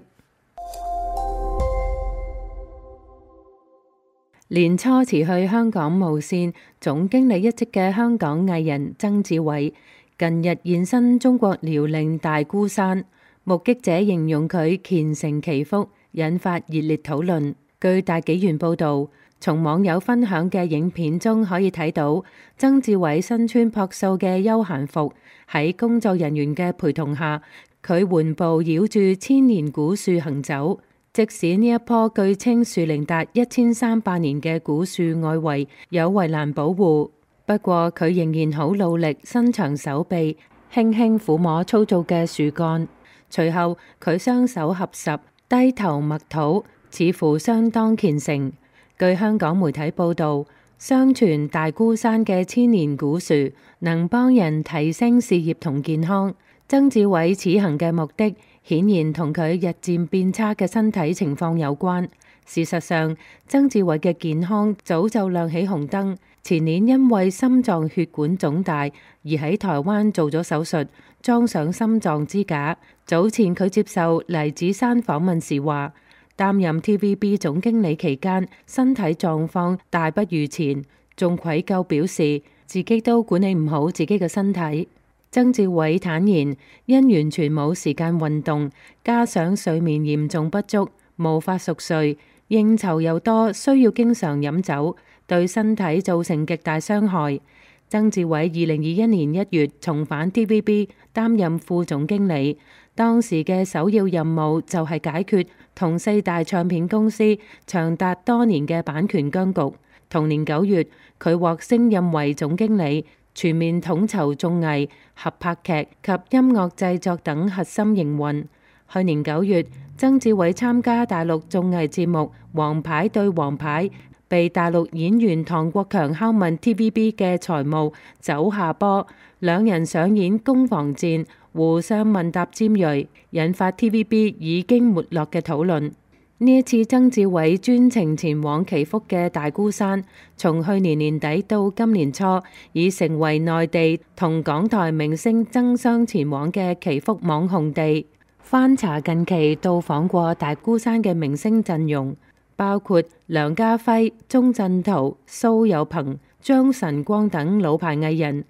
年初辭去香港無線總經理一職嘅香港藝人曾志偉，近日現身中國遼寧大孤山。目擊者形容佢虔誠祈福，引發熱烈討論。據大紀元報導，從網友分享嘅影片中可以睇到，曾志偉身穿樸素嘅休閒服，喺工作人員嘅陪同下，佢緩步繞住千年古樹行走。即使呢一棵據稱樹齡達1300年嘅古樹外圍有圍欄保護，不過佢仍然好努力伸長手臂，輕輕撫摸粗糙嘅樹幹。隨後，佢雙手合十，低頭默禱，似乎相當虔誠。據香港媒體報導，相傳大孤山嘅千年古樹能幫人提升事業同健康。曾志偉此行嘅目的，顯然同佢日漸變差嘅身體情況有關。事實上，曾志偉嘅健康早就亮起紅燈。前年因為心臟血管腫大而喺台灣做咗手術，裝上心臟支架。早前佢接受黎芷珊訪問時話，擔任 TVB 總經理期間身體狀況大不如前，仲愧疚表示自己都管理唔好自己嘅身體。曾志偉坦言，因完全冇時間運動，加上睡眠嚴重不足，無法熟睡，應酬又多，需要經常飲酒，對身體造成極大傷害。曾志偉2021年1月重返 TVB 擔任副總經理，當時嘅首要任務就係解決同4大唱片公司長達多年嘅版權僵局。同年9月，佢獲升任為總經理，全面統籌綜藝、合拍劇及音樂製作等核心營運。去年9月，曾志偉參加大陸綜藝節目《王牌對王牌》，被大陸演員唐國強拷問 TVB 嘅財務走下坡，兩人上演攻防戰，互相問答尖銳，引發 TVB 已經沒落嘅討論。呢一次曾志偉專程前往祈福嘅大孤山，從去年年底到今年初，已成為內地同港台明星爭相前往嘅祈福網紅地。翻查近期到訪過大孤山嘅明星陣容，包括梁家輝、鐘鎮濤、蘇有朋、張晨光等老牌藝人，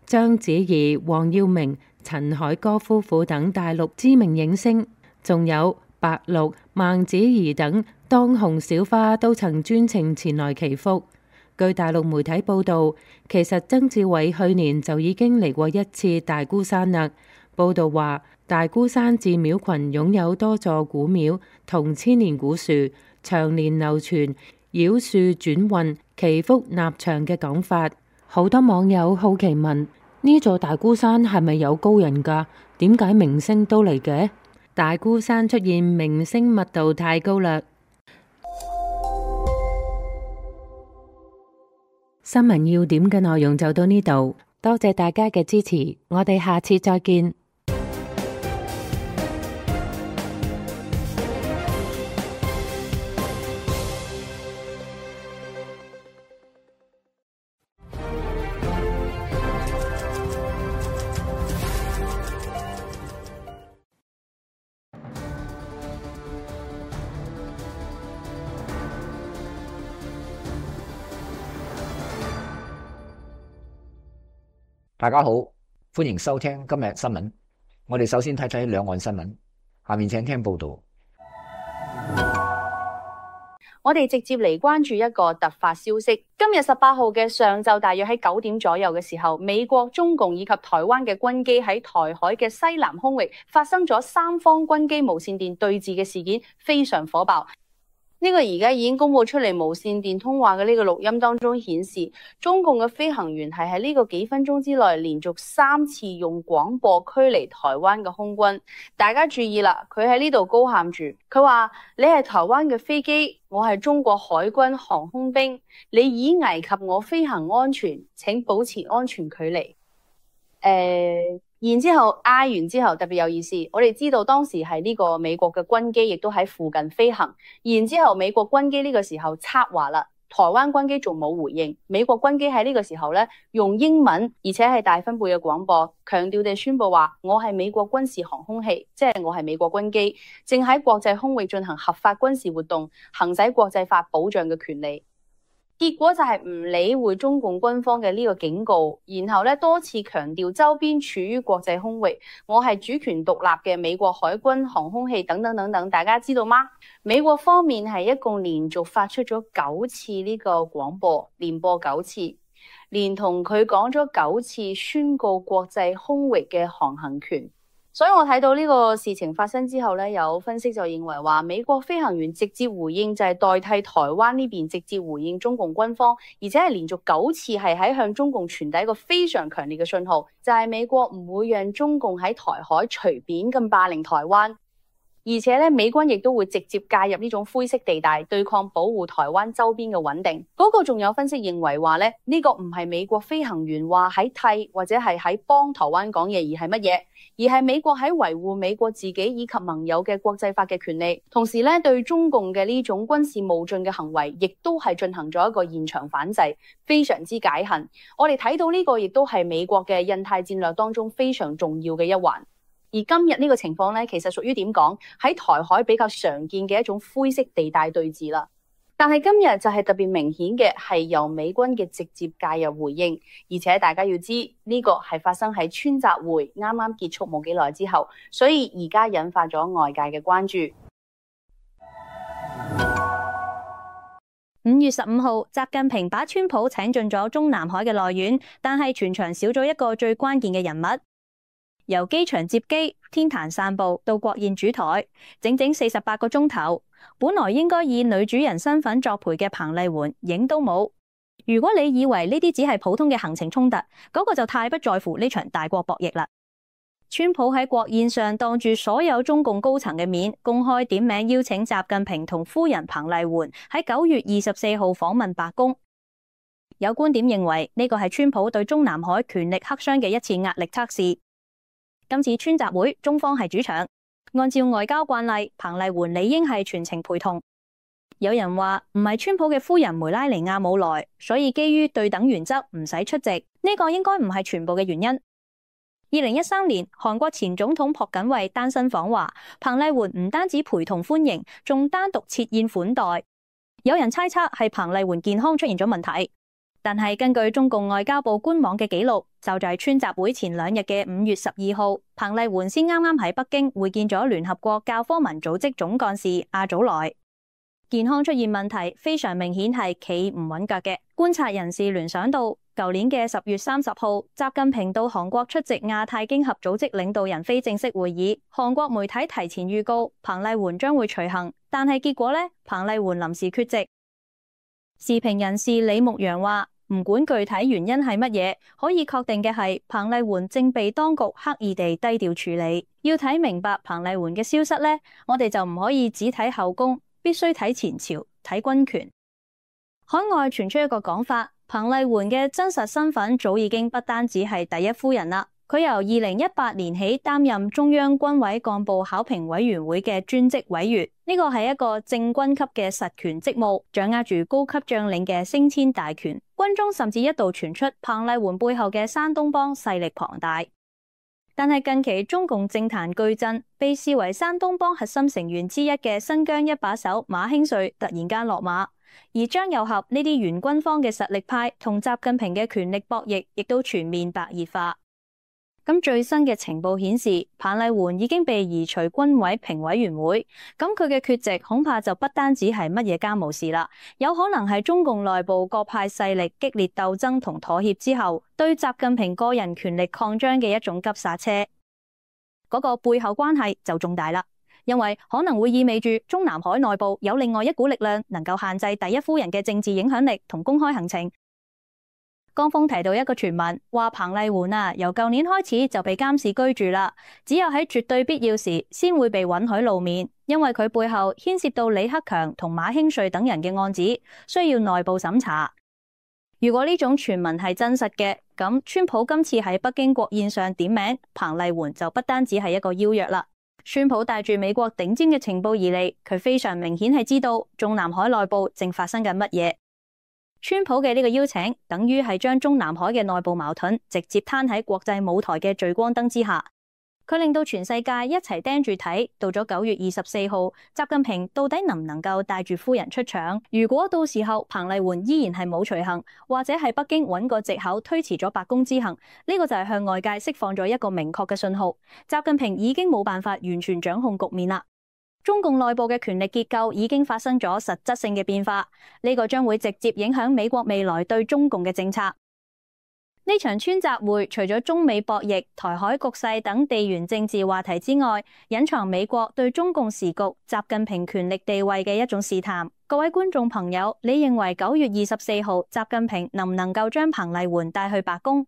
章子怡、黃耀明、陳凱歌夫婦等大陸知名影星，仲有白鹿、孟子怡等當紅小花都曾專程前來祈福。據大陸媒體報道，其實曾志偉去年就已經嚟過一次大孤山啦。報道話，大孤山寺廟群擁有多座古廟同千年古樹，長年流傳繞樹轉運、祈福納祥嘅講法。好多網友好奇問：呢座大孤山係咪有高人㗎？點解明星都嚟嘅？大孤山出現明星密度太高啦。新聞要點嘅內容就到呢度，多謝大家嘅支持，我哋下次再見。大家好，歡迎收聽今日新聞。我哋首先睇睇兩岸新聞，下面請聽報道。我哋直接嚟關注一個突發消息。今日18號嘅上晝，大約喺9點左右嘅時候，美國、中共以及台灣嘅軍機喺台海嘅西南空域發生咗三方軍機無線電對峙嘅事件，非常火爆。呢個而家已經公佈出嚟無線電通話嘅呢個錄音當中顯示，中共嘅飛行員係喺呢個幾分鐘之內連續3次用廣播驅離台灣嘅空軍。大家注意啦，佢喺呢度高喊住，佢話：你係台灣嘅飛機，我係中國海軍航空兵，你已危及我飛行安全，請保持安全距離。然之後嗌完之後特別有意思，我哋知道當時係呢個美國嘅軍機亦都喺附近飛行，然之後美國軍機呢個時候插話啦，台灣軍機仲冇回應，美國軍機喺呢個時候咧用英文而且係大分貝嘅廣播，強調地宣布話：我係美國軍事航空器，即係我係美國軍機，正喺國際空域進行合法軍事活動，行使國際法保障嘅權利。結果就係唔理會中共軍方嘅呢個警告，然後咧多次強調周邊處於國際空域，我係主權獨立嘅美國海軍航空器等等等等，大家知道嗎？美國方面係一共連續發出咗9次呢個廣播，連播9次，連同佢講咗9次宣告國際空域嘅航行權。所以我睇到呢個事情發生之後咧，有分析就認為話，美國飛行員直接回應就係代替台灣呢邊直接回應中共軍方，而且係連續9次係喺向中共傳遞一個非常強烈嘅信號，就係美國唔會讓中共喺台海隨便咁霸凌台灣。而且咧，美軍亦都會直接介入呢種灰色地帶，對抗保護台灣周邊嘅穩定。嗰個仲有分析認為話咧，呢個唔係美國飛行員話喺替或者係喺幫台灣講嘢，而係乜嘢？而係美國喺維護美國自己以及盟友嘅國際法嘅權利，同時咧對中共嘅呢種軍事冒進嘅行為，亦都係進行咗一個現場反制，非常之解恨。我哋睇到呢個亦都係美國嘅印太戰略當中非常重要嘅一環。而今日呢個情況咧，其實屬於點講？喺台海比較常見嘅一種灰色地帶對峙啦。但係今日就係特別明顯嘅，係由美軍嘅直接介入回應，而且大家要知呢個係發生喺川習會啱啱結束冇幾耐之後，所以而家引發咗外界嘅關注。5月15號，習近平把川普請進咗中南海嘅內院，但係全場少咗一個最關鍵嘅人物。由機場接機、天壇散步到國宴主台，整整48個鐘頭。本來應該以女主人身份作陪嘅彭麗媛影都冇。如果你以為呢啲只係普通嘅行程衝突，嗰個就太不在乎呢場大國博弈啦。川普喺國宴上當住所有中共高層嘅面，公開點名邀請習近平同夫人彭麗媛喺9月24號訪問白宮。有觀點認為呢個係川普對中南海權力黑箱嘅一次壓力測試。今次川習會，中方係主場，按照外交慣例，彭麗媛理應係全程陪同。有人話唔係川普嘅夫人梅拉尼亞冇來，所以基於對等原則唔使出席，呢個應該唔係全部嘅原因。2013年，韓國前總統朴槿惠單身訪華，彭麗媛唔單止陪同歡迎，仲單獨設宴款待。有人猜測係彭麗媛健康出現咗問題，但係根據中共外交部官網嘅記錄，就在川習會前2日嘅5月12號，彭麗媛先啱啱喺北京會見咗聯合國教科文組織總幹事阿祖萊。健康出現問題非常明顯係企唔穩腳嘅。觀察人士聯想到，舊年嘅10月30號，習近平到韓國出席亞太經合組織領導人非正式會議，韓國媒體提前預告彭麗媛將會隨行，但係結果呢，彭麗媛臨時缺席。時評人士李牧陽話，唔管具體原因係乜嘢，可以確定嘅係彭麗媛正被當局刻意地低調處理。要睇明白彭麗媛嘅消失呢，我哋就唔可以只睇後宮，必須睇前朝，睇軍權。海外傳出一個講法，彭麗媛嘅真實身份早已經不單止係第一夫人啦。佢由2018年起擔任中央軍委幹部考評委員會嘅專職委員，呢個係一個正軍級嘅實權職務，掌握住高級將領嘅升遷大權。軍中甚至一度傳出彭麗媛背後嘅山東幫勢力龐大。但係近期中共政壇巨震，被視為山東幫核心成員之一嘅新疆一把手馬興瑞突然間落馬，而張又俠呢啲原軍方嘅實力派同習近平嘅權力博弈亦都全面白熱化。咁最新嘅情報顯示，彭麗媛已經被移除軍委評委員會，咁佢嘅缺席恐怕就不單止係乜嘢家務事啦，有可能係中共內部各派勢力激烈鬥爭同妥協之後，對習近平個人權力擴張嘅一種急剎車。嗰個背後關係就重大啦，因為可能會意味住中南海內部有另外一股力量能夠限制第一夫人嘅政治影響力同公開行程。江峰提到一個傳聞，話彭麗媛由舊年開始就被監視居住啦，只有喺絕對必要時先會被允許露面，因為佢背後牽涉到李克強同馬興瑞等人嘅案子，需要內部審查。如果呢種傳聞係真實嘅，咁川普今次喺北京國宴上點名彭麗媛就不單止係一個邀約啦。川普帶住美國頂尖嘅情報而嚟，佢非常明顯係知道中南海內部正發生緊乜嘢。川普嘅呢個邀請，等於係將中南海嘅內部矛盾直接攤喺國際舞台嘅聚光燈之下，佢令到全世界一齊盯住睇。到咗9月24號，習近平到底能唔能夠帶住夫人出場？如果到時候彭麗媛依然係冇隨行，或者係北京揾個藉口推遲咗白宮之行，呢個就係向外界釋放咗一個明確嘅信號，習近平已經冇辦法完全掌控局面啦。中共內部嘅權力結構已經發生咗實質性嘅變化，呢個將會直接影響美國未來對中共嘅政策。呢場川習會除咗中美博弈、台海局勢等地緣政治話題之外，隱藏美國對中共時局、習近平權力地位嘅一種試探。各位觀眾朋友，你認為9月24號習近平能唔能夠將彭麗媛帶去白宮？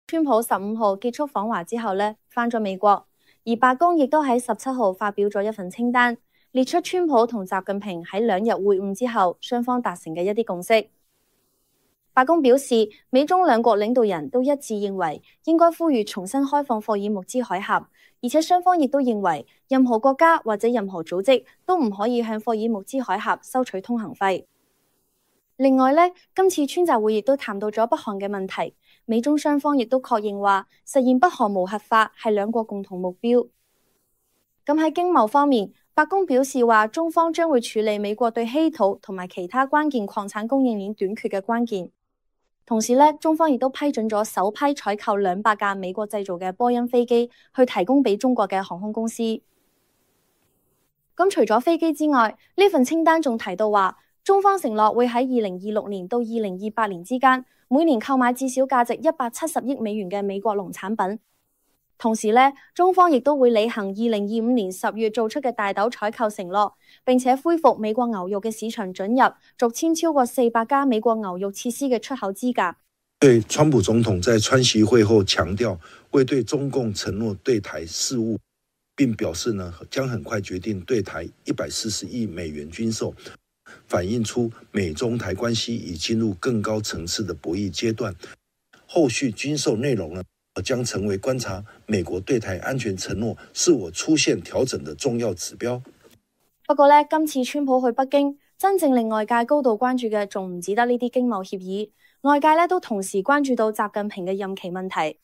川普15號結束訪華之後呢，返咗美國。而白宮亦都喺17號發表咗一份清單，列出川普同習近平喺2日會晤之後，雙方達成嘅一啲共識。白宮表示，美中兩國領導人都一致認為應該呼籲重新開放霍爾木茲海峽，而且雙方亦都認為任何國家或者任何組織都唔可以向霍爾木茲海峽收取通行費。另外呢，今次川習會亦都談到咗北韓嘅問題。美中雙方亦都確認話，實現北韓無核化係兩國共同目標。咁喺經貿方面，白宮表示話，中方將會處理美國對稀土同埋其他關鍵礦產供應鏈短缺嘅關鍵。同時呢，中方亦都批准咗首批採購200架美國製造嘅波音飛機，去提供俾中國嘅航空公司。咁除咗飛機之外，呢份清單仲提到話，中方承諾會喺2026年到2028年之間，每年購買至少價值170億美元嘅美國農產品。同時呢，中方亦都會履行2025年10月做出嘅大豆採購承諾，並且恢復美國牛肉嘅市場准入，續簽超過400家美國牛肉設施嘅出口資格。对川普总统在川习会后强调会对中共承诺对台事务，并表示将很快决定对台140亿美元军售，反映出美中台关系已进入更高层次的博弈阶段。后续军售内容将成为观察美國對台安全承諾是否出現調整的重要指標。不過呢，今次川普去北京，真正令外界高度關注嘅仲唔止得呢啲經貿協議，外界呢都同時關注到習近平嘅任期問題。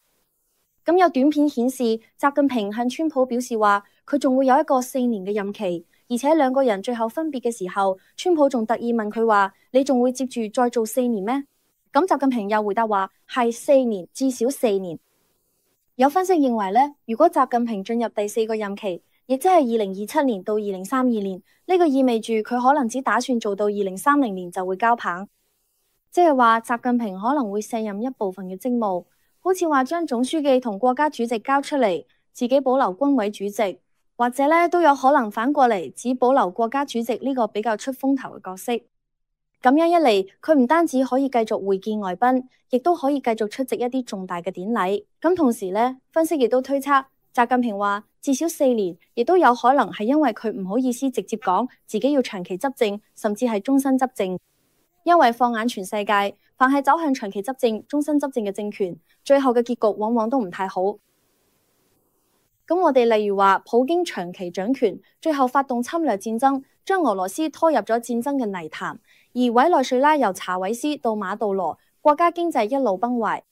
咁有短片顯示，習近平向川普表示話，佢仲會有一個4年嘅任期，而且兩個人最後分別嘅時候，川普仲特意問佢話：你仲會接住再做4年咩？咁習近平又回答話：係4年，至少4年。有分析認為呢，如果習近平進入第4個任期，亦即係2027年到2032年，呢個意味住佢可能只打算做到2030年就會交棒，即係話習近平可能會卸任一部分嘅職務，好似話將總書記同國家主席交出嚟，自己保留軍委主席，或者呢都有可能反過嚟只保留國家主席呢個比較出風頭嘅角色。咁樣一嚟，佢唔單止可以繼續會見外賓，亦都可以繼續出席一啲重大嘅典禮。咁同時呢，分析亦都推測，習近平話至少4年，亦都有可能係因為佢唔好意思直接講自己要長期執政，甚至係終身執政。因為放眼全世界，凡係走向長期執政、終身執政嘅政權，最後嘅結局往往都唔太好。咁我哋例如話，普京長期掌權，最後發動侵略戰爭，將俄羅斯拖入咗戰爭嘅泥潭。而委內瑞拉由查韋斯到馬杜羅，國家經濟一路崩壞。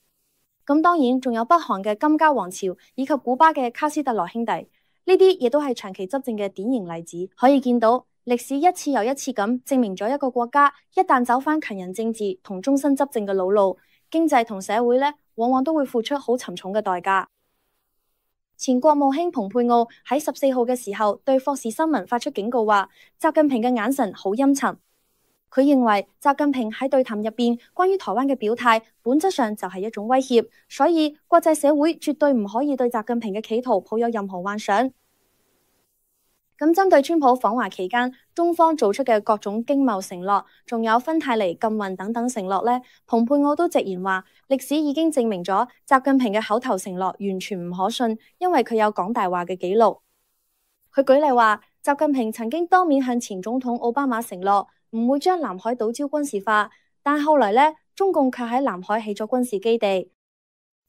咁當然仲有北韓嘅金家王朝，以及古巴嘅卡斯特羅兄弟，呢啲亦都係長期執政嘅典型例子。可以見到歷史一次又一次咁證明咗一個國家一旦走返強人政治同終身執政嘅老路，經濟同社會呢往往都會付出好沉重嘅代價。前國務卿蓬佩奧喺14號嘅時候對霍士新聞發出警告話，習近平嘅眼神好陰沉。佢認為習近平喺對談入邊關於台灣嘅表態，本質上就係一種威脅，所以國際社會絕對唔可以對習近平嘅企圖抱有任何幻想。咁針對川普訪華期間，中方做出嘅各種經貿承諾，仲有芬太尼禁運等等承諾呢，蓬佩奧都直言話，歷史已經證明咗習近平嘅口頭承諾完全唔可信，因為佢有講大話嘅記錄。佢舉例話，習近平曾經當面向前總統奧巴馬承諾唔會將南海島礁軍事化，但後來呢，中共卻喺南海起咗軍事基地。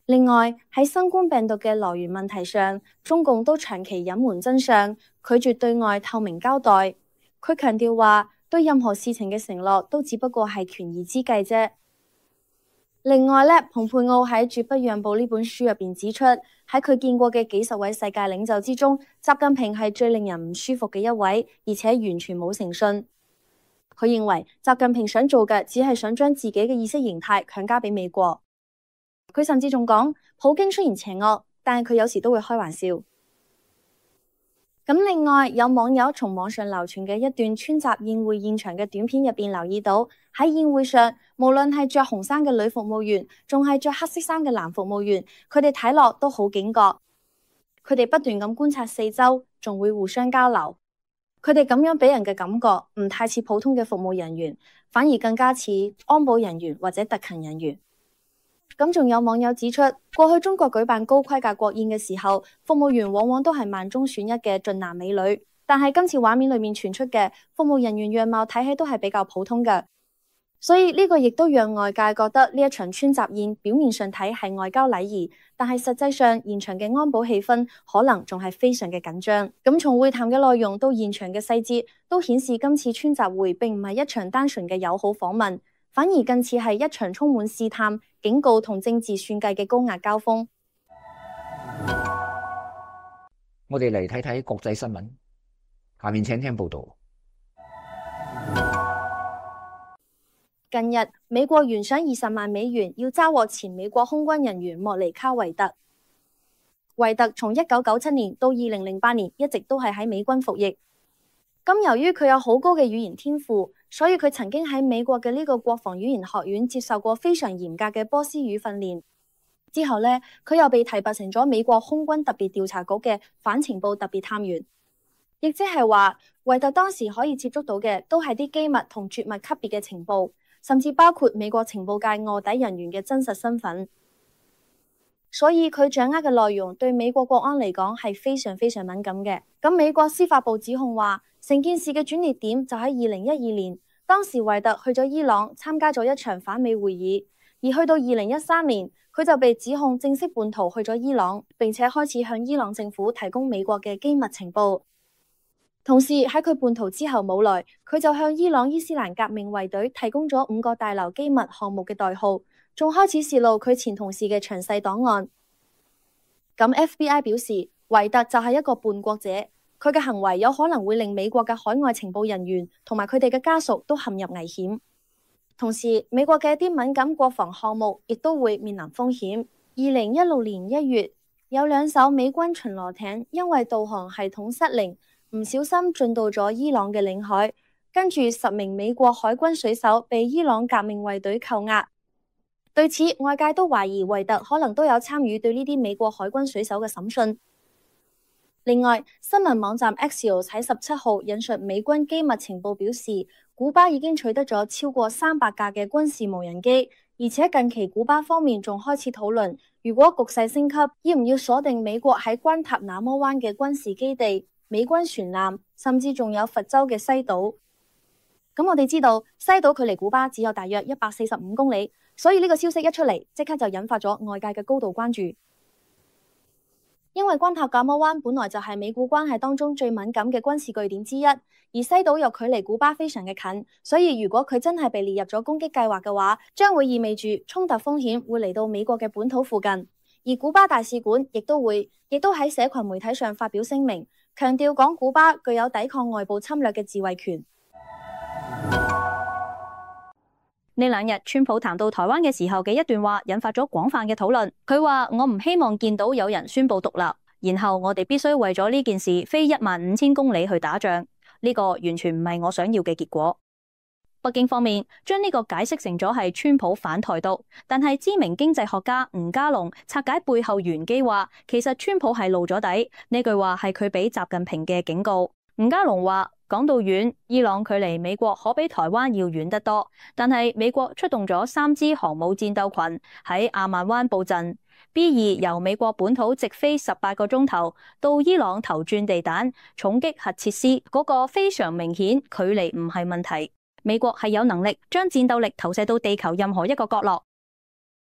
另外喺新冠病毒嘅來源問題上，中共都長期隱瞞真相，拒絕對外透明交代。佢強調話，對任何事情嘅承諾都只不過係權宜之計啫。另外呢，蓬佩奧喺《絕不讓步》呢本書入邊指出，喺佢見過嘅幾十位世界領袖之中，習近平係最令人唔舒服嘅一位，而且完全冇誠信。佢認為習近平想做嘅只係想將自己嘅意識形態強加俾美國。佢甚至仲講，普京雖然邪惡，但係佢有時都會開玩笑。咁另外有網友從網上流傳嘅一段川習宴會現場嘅短片入邊留意到，喺宴會上無論係着紅衫嘅女服務員，仲係着黑色衫嘅男服務員，佢哋睇落都好警覺。佢哋不斷咁觀察四周，仲會互相交流。佢哋咁樣俾人嘅感覺唔太似普通嘅服務人員，反而更加似安保人員或者特勤人員。咁仲有網友指出，過去中國舉辦高規格國宴嘅時候，服務員往往都係萬中選一嘅俊男美女，但係今次畫面裏面傳出嘅服務人員樣貌睇起都係比較普通嘅，所以呢個亦都讓外界覺得呢一場川習宴表面上睇係外交禮儀，但係實際上現場嘅安保氣氛可能仲係非常嘅緊張。咁從會談嘅內容到現場嘅細節，都顯示今次川習會並唔係一場單純嘅友好訪問，反而更似係一場充滿試探、警告同政治算計嘅高壓交鋒。我哋嚟睇睇國際新聞，下面請聽報道。近日，美國懸賞20萬美元要抓獲前美國空軍人員莫尼卡維特。維特從1997年到2008年一直都係喺美軍服役。咁由於佢有好高嘅語言天賦，所以佢曾經喺美國嘅呢個國防語言學院接受過非常嚴格嘅波斯語訓練。之後呢，佢又被提拔成咗美國空軍特別調查局嘅反情報特別探員，亦即係話維特當時可以接觸到嘅都係啲機密同絕密級別嘅情報，甚至包括美國情報界臥底人員嘅真實身份。所以佢掌握嘅內容對美國國安嚟講係非常非常敏感嘅。咁美國司法部指控話，成件事嘅轉捩點就喺2012年，當時維特去咗伊朗參加咗一場反美會議，而去到2013年，佢就被指控正式叛逃去咗伊朗，並且開始向伊朗政府提供美國嘅機密情報。同時喺佢叛逃之後冇耐，佢就向伊朗伊斯蘭革命衛隊提供咗5個大樓機密項目嘅代號，仲開始泄露佢前同事嘅詳細檔案。咁 FBI 表示，維特就係一個叛國者，佢嘅行為有可能會令美國嘅海外情報人員同埋佢哋嘅家屬都陷入危險。同時，美國嘅一啲敏感國防項目亦都會面臨風險。2016年1月，有2艘美軍巡邏艇因為導航系統失靈，唔小心進到咗伊朗嘅領海，跟住10名美國海軍水手被伊朗革命衛隊扣押。對此，外界都懷疑維特可能都有參與對呢啲美國海軍水手嘅審訊。另外，新聞網站 Axios 喺17號引述美軍機密情報表示，古巴已經取得咗超過300架嘅軍事無人機，而且近期古巴方面仲開始討論，如果局勢升級，要唔要鎖定美國喺關塔那摩灣嘅軍事基地、美軍船艦，甚至仲有佛州嘅西島。咁我哋知道，西島距離古巴只有大約145公里，所以呢個消息一出嚟，即刻就引發咗外界嘅高度關注。因為關塔那摩灣本來就係美古關係當中最敏感嘅軍事據點之一，而西島又距離古巴非常嘅近，所以如果佢真係被列入咗攻擊計劃嘅話，將會意味住衝突風險會嚟到美國嘅本土附近。而古巴大使館亦都喺社群媒體上發表聲明，強調講古巴具有抵抗外部侵略嘅自衛權。呢2日，川普談到台灣嘅時候嘅一段話，引發咗廣泛嘅討論。佢話：我唔希望見到有人宣布獨立，然後我哋必須為咗呢件事飛15000公里去打仗。呢個完全唔係我想要嘅結果。北京方面將呢個解釋成咗係川普反台獨，但係知名經濟學家吳家龍拆解背後玄機話，其實川普係露咗底。呢句話係佢俾習近平嘅警告。吳家龍話：講到遠，伊朗距離美國可比台灣要遠得多，但係美國出動咗3支航母戰鬥群喺阿曼灣布陣。B2由美國本土直飛18個鐘頭到伊朗投轉地彈，重擊核設施，嗰個非常明顯，距離唔係問題。美國係有能力將戰鬥力投射到地球任何一個角落。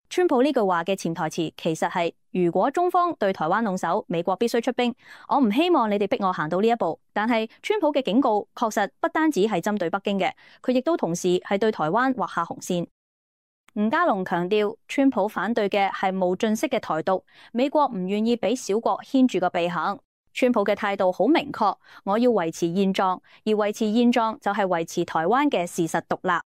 川普呢句話嘅潛台詞其實係：如果中方對台灣動手，美國必須出兵。我唔希望你哋逼我行到呢一步。但係川普嘅警告確實不單止係針對北京嘅，佢亦都同時係對台灣劃下紅線。吳家龍強調，川普反對嘅係無盡式嘅台獨，美國唔願意俾小國牽住個鼻行。川普嘅態度好明確，我要維持現狀，而維持現狀就係維持台灣嘅事實獨立。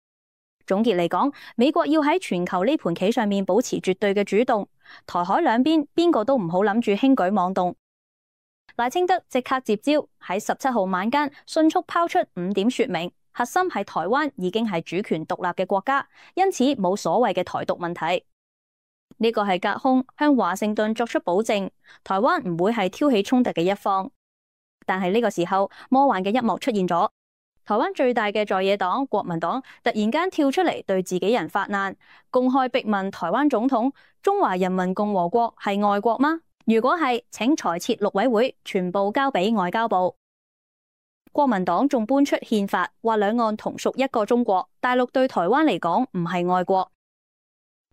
總結嚟講，美國要喺全球呢盤棋上面保持絕對嘅主動，台海兩邊邊個都唔好諗住輕舉妄動。賴清德即刻接招，喺17號晚間迅速拋出5點說明，核心係台灣已經係主權獨立嘅國家，因此冇所謂嘅台獨問題。呢個係隔空向華盛頓作出保證，台灣唔會係挑起衝突嘅一方。但係呢個時候，魔幻嘅一幕出現咗。台灣最大嘅在野黨國民黨突然間跳出嚟對自己人發難，公開逼問台灣總統：中華人民共和國係外國嗎？如果係，請裁撤陸委會，全部交俾外交部。國民黨仲搬出憲法，話兩岸同屬一個中國，大陸對台灣嚟講唔係外國。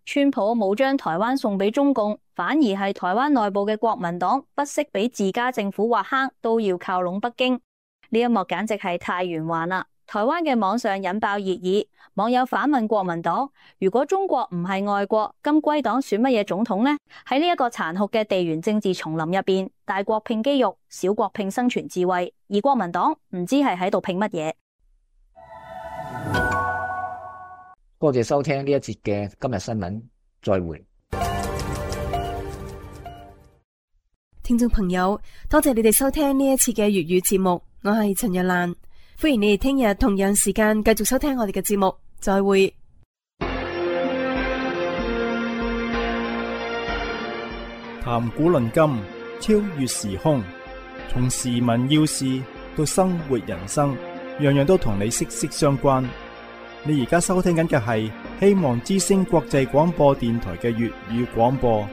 川普冇將台灣送俾中共，反而係台灣內部嘅國民黨不惜俾自家政府挖坑，都要靠攏北京。呢一幕簡直係太圓環啦！台灣嘅網上引爆熱議，網友反問國民黨：如果中國唔係外國，咁歸黨選乜嘢總統呢？喺呢一個殘酷嘅地緣政治叢林入邊，大國拼肌肉，小國拼生存智慧，而國民黨唔知係喺度拼乜嘢。多謝收聽呢一節嘅今日新聞，再會。聽眾朋友，多謝你哋收聽呢一次嘅粵語節目，我係陳若蘭，歡迎你哋聽日同樣時間繼續收聽我哋嘅節目，再會。談古論今，超越時空，從時聞要事到生活人生，樣樣都同你息息相關。你而家收聽緊嘅係希望之聲國際廣播電台嘅粵語廣播。